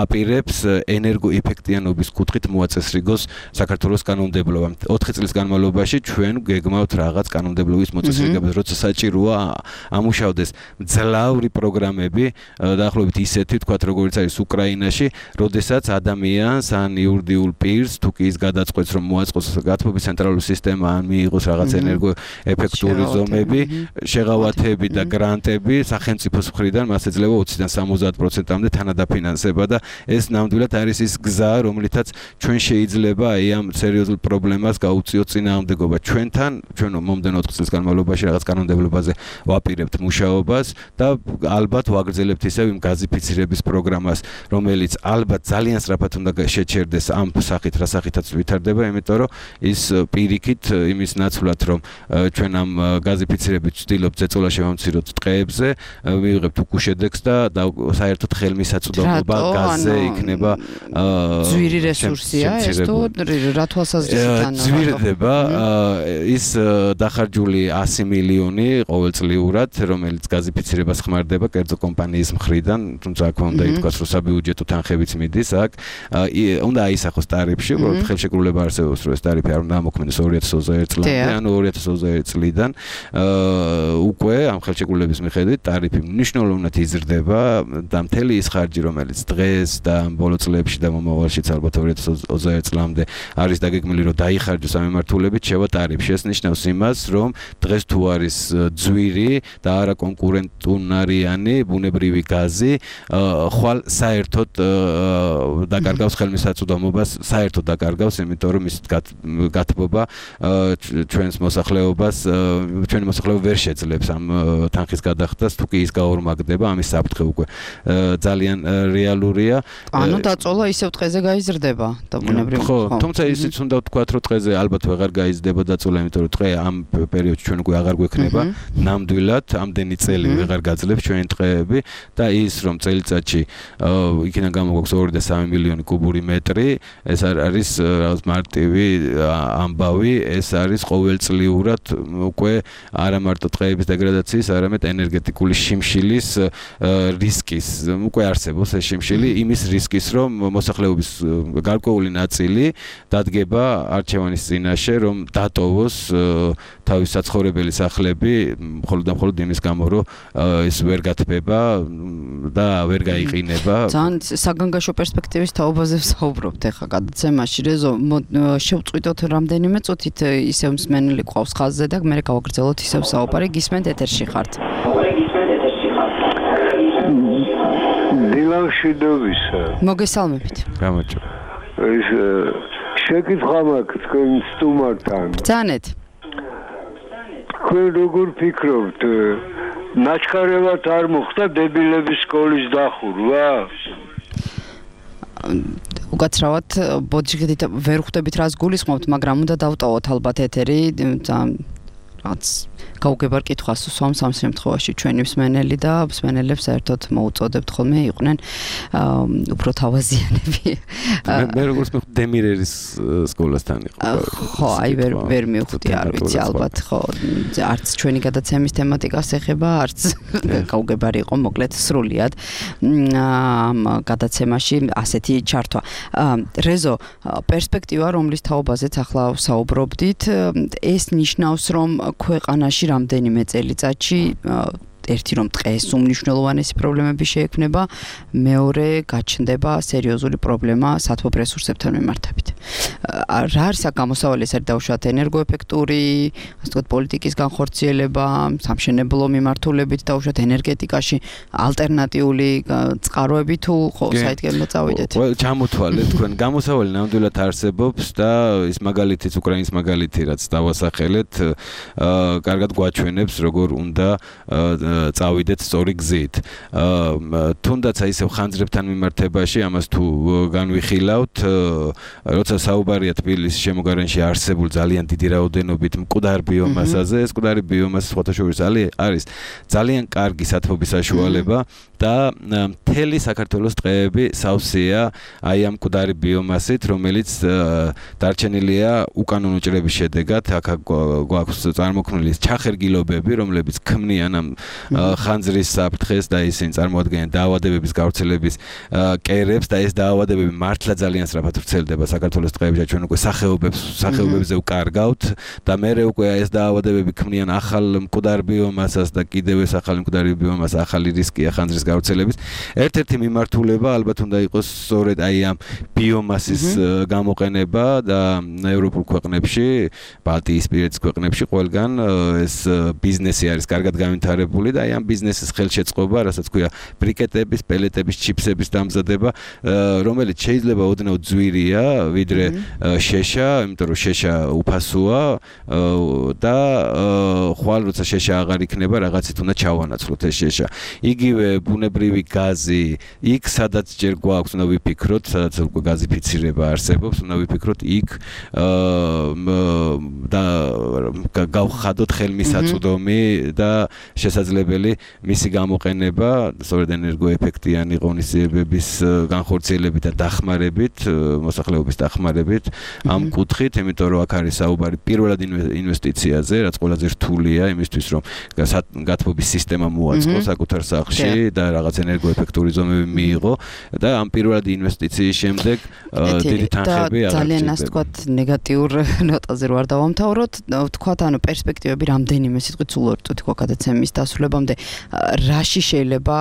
აპირებს ენერგოეფექტიანობის კუთხით მოაწესრიგოს საქართველოს კანონმდებლობა. ოთხ წლის განმავლობაში ჩვენ გეგმავთ რაღაც კანონმდებლობის მოწესრიგებას, როცა საჭიროა ამუშავდეს მძლავრი პროგრამები, დაახლოებით ისეთი, თქვათ, როგორც არის უკრაინაში, როდესაც ადამიანს ან იურიდიულ პირს თუ კი ის გადაწყვეტს, რომ მოაწყოს გათბობის ცენტრალური სისტემა, ან მიიღოს რაღაც ენერგოეფექტური ზომები, შეღავათები და გრანტები სახელმწიფოს მხრიდან მას ეძლევა ოციდან სამოცდაათ პროცენტამდე თანადაფინანსება და ეს ნამდვილად არის ის გზა, რომლითაც ჩვენ შეიძლება აი ამ სერიოზულ პრობლემას გაუწიოთ წინააღმდეგობა. ჩვენთან, ჩვენ მომდევნო ოთხ წლის განმავლობაში რაღაც კანონმდებლობაზე ვაპირებთ მუშაობას და ალბათ ვაგრძელებთ ისევ იმ გაზიფიცირების პროგრამას, რომელიც ალბათ ძალიან სწრაფად უნდა შეჩერდეს ამ სახით, რა სახითაც ვითარდება, იმიტომ რომ ის პირიქით იმის ნაცვლად, რომ ჩვენ ამ გაზიფიცირებით ვცდილობთ ზეწოლა შევამციროთ ტყეებზე, მივიღებთ უკუშედეგს და საერთოდ ხელმისაწვდომობა გაზზე იქნება ძვირი რესურსია ეს თუ რა თვალსაზრისით ძვირდება ის დახარჯული ასი მილიონი ყოველწლიურად, რომელიც გაზიფიცირებას ხმარდება კერძო კომპანიის მხრიდან, თუმცა აქ უნდა ითქვას, რომ საბიუჯეტო თანხებიც მიდის აქ, უნდა აისახოს ტარიფში, უბრალოდ ხელშეკრულება არსებობს, რომ ეს ტარიფი არ უნდა ამოქმედდეს ორი ათას ოცდაერთი წლამდე, ანუ ორი ათას ოცდაერთი წლიდან უკვე ამ ხელშეკრულების მიხედვით ტარიფი მნიშვნელოვნად იზრდება და მთელი ის ხარჯი, რომელიც დღეს და ბოლო წლებში და მომავალშიც ალბათ ორი ათას ოცდაერთი წლამდე არის დაგეგმილი, რომ დაიხარჯოს ამ მიმართულებით, შევა ტარიფში. ეს ნიშნავს იმას, რომ დღეს თუ არის ძვირი და არ არაკონკურენტუნარიანი ბუნებრივი გაზი ხვალ საერთოდ დაკარგავს ხელმისაწვდომობას, საერთოდ დაკარგავს, იმიტომ რომ ის გათბობა ჩვენს მოსახლეობას, ჩვენი მოსახლეობა ვერ შეძლებს ამ თანხის გადახდას, თუ კი ის გაორმაგდება, ამის საფრთხე უკვე ძალიან რეალურია. ანუ დაწოლა ისევ დღეზე გაიზრდება და ბუნებრივი. ხო, თუმცა ისიც უნდა ვთქვათ, რომ დღეზე ალბათ ვეღარ გაიზრდება დაწოლა, იმიტომ რომ დღე ამ პერიოდში ჩვენ უკვე აღარ გვექნება ნამდვილად ამდენი წელი ვეღარ გაძლებს ჩვენი ტყეები და ის რომ წელიწადში იქიდან გამოგვაქვს ორი და სამი მილიონი კუბური მეტრი, ეს არის რაღაც მარტივი ამბავი, ეს არის ყოველწლიურად უკვე არა მარტო ტყეების დეგრადაციის, არამედ ენერგეტიკული შიმშილის რისკის უკვე არსებობს ეს შიმშილი, იმის რისკის რომ მოსახლეობის გარკვეული ნაწილი დადგება არჩევანის წინაშე, რომ დატოვოს თავის საცხოვრებელი სახლები, მხოლოდ და მხოლოდ იმის გამო, რომ ის ვერ გათბება და ვერ გაიყინება. ძალიან საგანგაშო პერსპექტივის თაობაზე ვსაუბრობთ ახლა გადაცემაში. რეზო, შევწყვიტოთ რამდენიმე წუთით ისევ მსმენელი ყავს ხაზზე და მე გავაგრძელოთ ისევ საუბარი. გისმენთ ეთერში ხართ. დილამშვიდობისა. მოგესალმებით. გამარჯობა. ეს შეკითხვა მაქვს თქვენ სტუმართან. ბრძანეთ. თქვენ როგორ ფიქრობთ, ნაჩქარევად არ მოხდა დებილების სკოლის დახურვა? უკაცრავად ბოდიშგედით ვერ ხვდებით რას გულისხმობთ, მაგრამ უნდა დავტოვოთ ალბათ ეთერი, რაც გაუგებარ კითხვას უსვამს ამ შემთხვევაში ჩვენი მსმენელი და მსმენელებს საერთოდ მოუწოდებთ ხოლმე იყვნენ უფრო თავაზიანები. მე როგორც მე დემირერის სკოლასთან იყო. ხო, აი ვერ ვერ მივხვდი, არ ვიცი ალბათ, ხო, არც ჩვენი გადაცემის თემატიკას ეხება, არც გაუგებარი იყო მოკლედ სრულიად ამ გადაცემაში ასეთი ჩართვა. რეზო, პერსპექტივა, რომლის თაობაზეც ახლა ვსაუბრობდით, ეს ნიშნავს, რომ ქვეყანაში რამდენიმე წელიწადში ერთი რომ ტყეს უმნიშვნელოვანესი პრობლემები შეექმნება, მეორე გაჩნდება სერიოზული პრობლემა სათბობ რესურსებთან მიმართებით. რა არის აქ გამოსავალი, ეს არის დაუშვათ ენერგოეფექტური, ასე ვთქვათ, პოლიტიკის განხორციელება, სამშენებლო მიმართულებით, დაუშვათ ენერგეტიკაში ალტერნატიული წყაროები თუ ხო საიდგემდე წავიდეთ. ჩამოთვალეთ თქვენ, გამოსავალი ნამდვილად არსებობს და ის მაგალითიც უკრაინის მაგალითი რაც დავასახელეთ, კარგად გვაჩვენებს როგორ უნდა წავიდეთ სწორი გზით. თუნდაც აი ისევ ხანძრებთან მიმართებაში ამას თუ განვიხილავთ, როცა საუბარია თბილისის შემოგარენში არსებულ ძალიან დიდი რაოდენობით მკვდარ ბიომასაზე, ეს მკვდარი ბიომასა სხვათაშორის არის ძალიან კარგი სათბობის საშუალება და მთელი საქართველოს ტყეები სავსეა აი ამ მკვდარი ბიომასით, რომელიც დარჩენილია უკანონო ჭრების შედეგად. აქ გვაქვს წარმოქმნილი ჩახერგილობები, რომლებიც ქმნიან ამ ხანძრის საფრთხეს და ისინი წარმოადგენენ დაავადებების გავრცელების კერებს და ეს დაავადებები მართლა ძალიან სწრაფად ვრცელდება საქართველოს ტყეებში. ჩვენ უკვე სახეობებს სახეობებზე ვკარგავთ და მერე უკვე ეს დაავადებები ქმნიან ახალ მკვდარ ბიომასას და კიდევ ეს ახალი მკვდარი ბიომასა ახალი რისკია ხანძრის გავრცელების. ერთ-ერთი მიმართულება ალბათ უნდა იყოს სწორედ აი ამ ბიომასის გამოყენება და ევროპულ ქვეყნებში, ბალტიისპირეთის ქვეყნებში ყველგან ეს ბიზნესი არის კარგად განვითარებული და აი ამ ბიზნესის ხელშეწყობა, რასაც ქვია ბრიკეტების, პელეტების, ჩიფსების დამზადება, რომელიც შეიძლება ოდნავ ძვირია ვიდრე შეშა, იმიტომ რომ შეშა უფასოა და ხვალ როცა შეშა აღარ იქნება, რაღაცით უნდა ჩავანაცვლოთ ეს შეშა. იგივე ბუნებრივი გაზი, იქ სადაც ჯერ გვაქვს, უნდა ვიფიქროთ, სადაც უკვე გაზიფიცირება არსებობს, უნდა ვიფიქროთ იქ და გავხადოთ ხელმისაწვდომი და შესაძლებელი მისი გამოყენება სწორედ ენერგოეფექტიანი ღონისძიებების განხორციელებით და დახმარებით, მოსახლეობის დახმარებით ამ კუთხით, იმიტომ რომ აქ არის საუბარი პირველად ინვესტიციაზე, რაც ყველაზე რთულია იმისთვის, რომ გათბობის სისტემა მოაწყო საკუთარ სახლში და რაღაც ენერგოეფექტური ზომები მიიღო და ამ პირველად ინვესტიციის შემდეგ დიდი თანხები აღარ ძალიან ასე ვთქვათ ნეგატიურ ნოტაზე რო არ დავამთავროთ, ვთქვათ ანუ პერსპექტივები რამდენიმე სიტყვით სულ ორი წუთი გვაქვს გადაცემის დასრულებამდე, რაში შეიძლება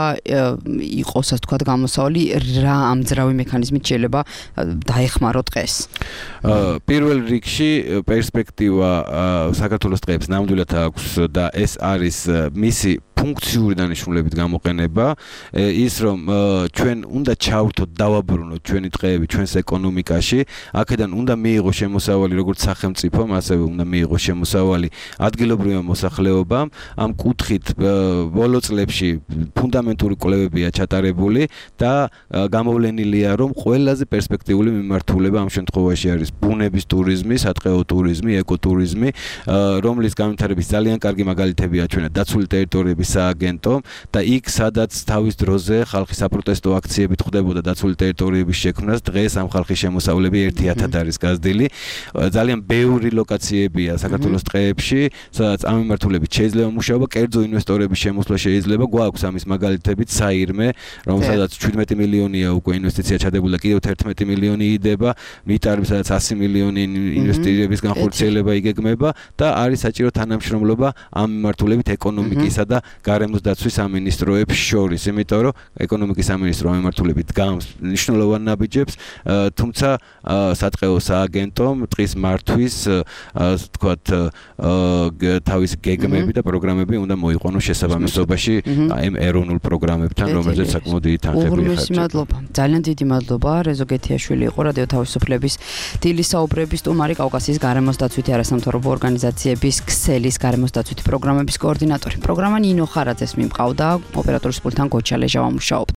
იყოს ასე ვთქვათ გამოსავალი, რა ამძრავი მექანიზმით შეიძლება დაეხმაროთ ტყეს? პირველ რიგში პერსპექტივა საქართველოს ტყეებს ნამდვილად აქვს და ეს არის მისი ფუნქციური დანიშნულებით გამოყენება, ის რომ ჩვენ უნდა ჩავთოთ, დავაბრუნოთ ჩვენი დღეები ჩვენს ეკონომიკაში, აქედან უნდა მიიღოს შემოსავალი როგორც სახელმწიფომ, ასევე უნდა მიიღოს შემოსავალი ადგილობრივმა მოსახლეობამ. ამ კუთხით ბოლო წლებში ფუნდამენტური კვლევებია ჩატარებული და გამოვლენილია, რომ ყველაზე პერსპექტიული მიმართულება ამ შემთხვევაში არის ბუნების ტურიზმი, სატყეო ტურიზმი, ეკოტურიზმი, რომლის განვითარების ძალიან კარგი მაგალითებია ჩვენად დაცული ტერიტორიების სააგენტო და იქ სადაც თავის დროზე ხალხის საპროტესტო აქციები ხდებოდა დაცული ტერიტორიების შექმნას, დღეს ამ ხალხის შემოსავლები ერთი ათად არის გაზრდილი. ძალიან ბევრი ლოკაციებია საქართველოს ტყეებში, სადაც ამ მიმართულებით შეიძლება მუშაობა, კერძო ინვესტორების შემოსვლა შეიძლება, გვაქვს ამის მაგალითებით საირმე, რომელსაც შვიდმეტი მილიონია უკვე ინვესტიცია ჩადებულა, კიდევ თერთმეტი მილიონი იდება, მიტარები სადაც ასი მილიონი ინვესტირების განხორციელება იგეგმება და არის საჭირო თანამშრომლობა ამ მიმართულებით ეკონომიკისა და გარემოს დაცვის სამინისტროებს შორის, იმიტომ რომ ეკონომიკის სამინისტრო ამ მიმართულებით გავს მნიშვნელოვან ნაბიჯებს, თუმცა სატყეო სააგენტომ ტყის მართვის თქვათ თავისი გეგმები და პროგრამები უნდა მოიყვანოს შესაბამისობაში ამ ეროვნულ პროგრამებთან, რომელზეც საკმაოდ დიდი თანხები ხარჯდება. მადლობა. ძალიან დიდი მადლობა. რეზო გეთიაშვილი იყო რადიო თავისუფლების დილის საუბრების სტუმარი, კავკასიის გარემოს დაცვითი არასამთავრობო ორგანიზაციების ქსელის გარემოს დაცვითი პროგრამების კოორდინატორი. პროგრამა ნინო ხარაძეს მიმყავდა, ოპერატორის პულტთან გოჩა ლეჟავა მუშაობდა.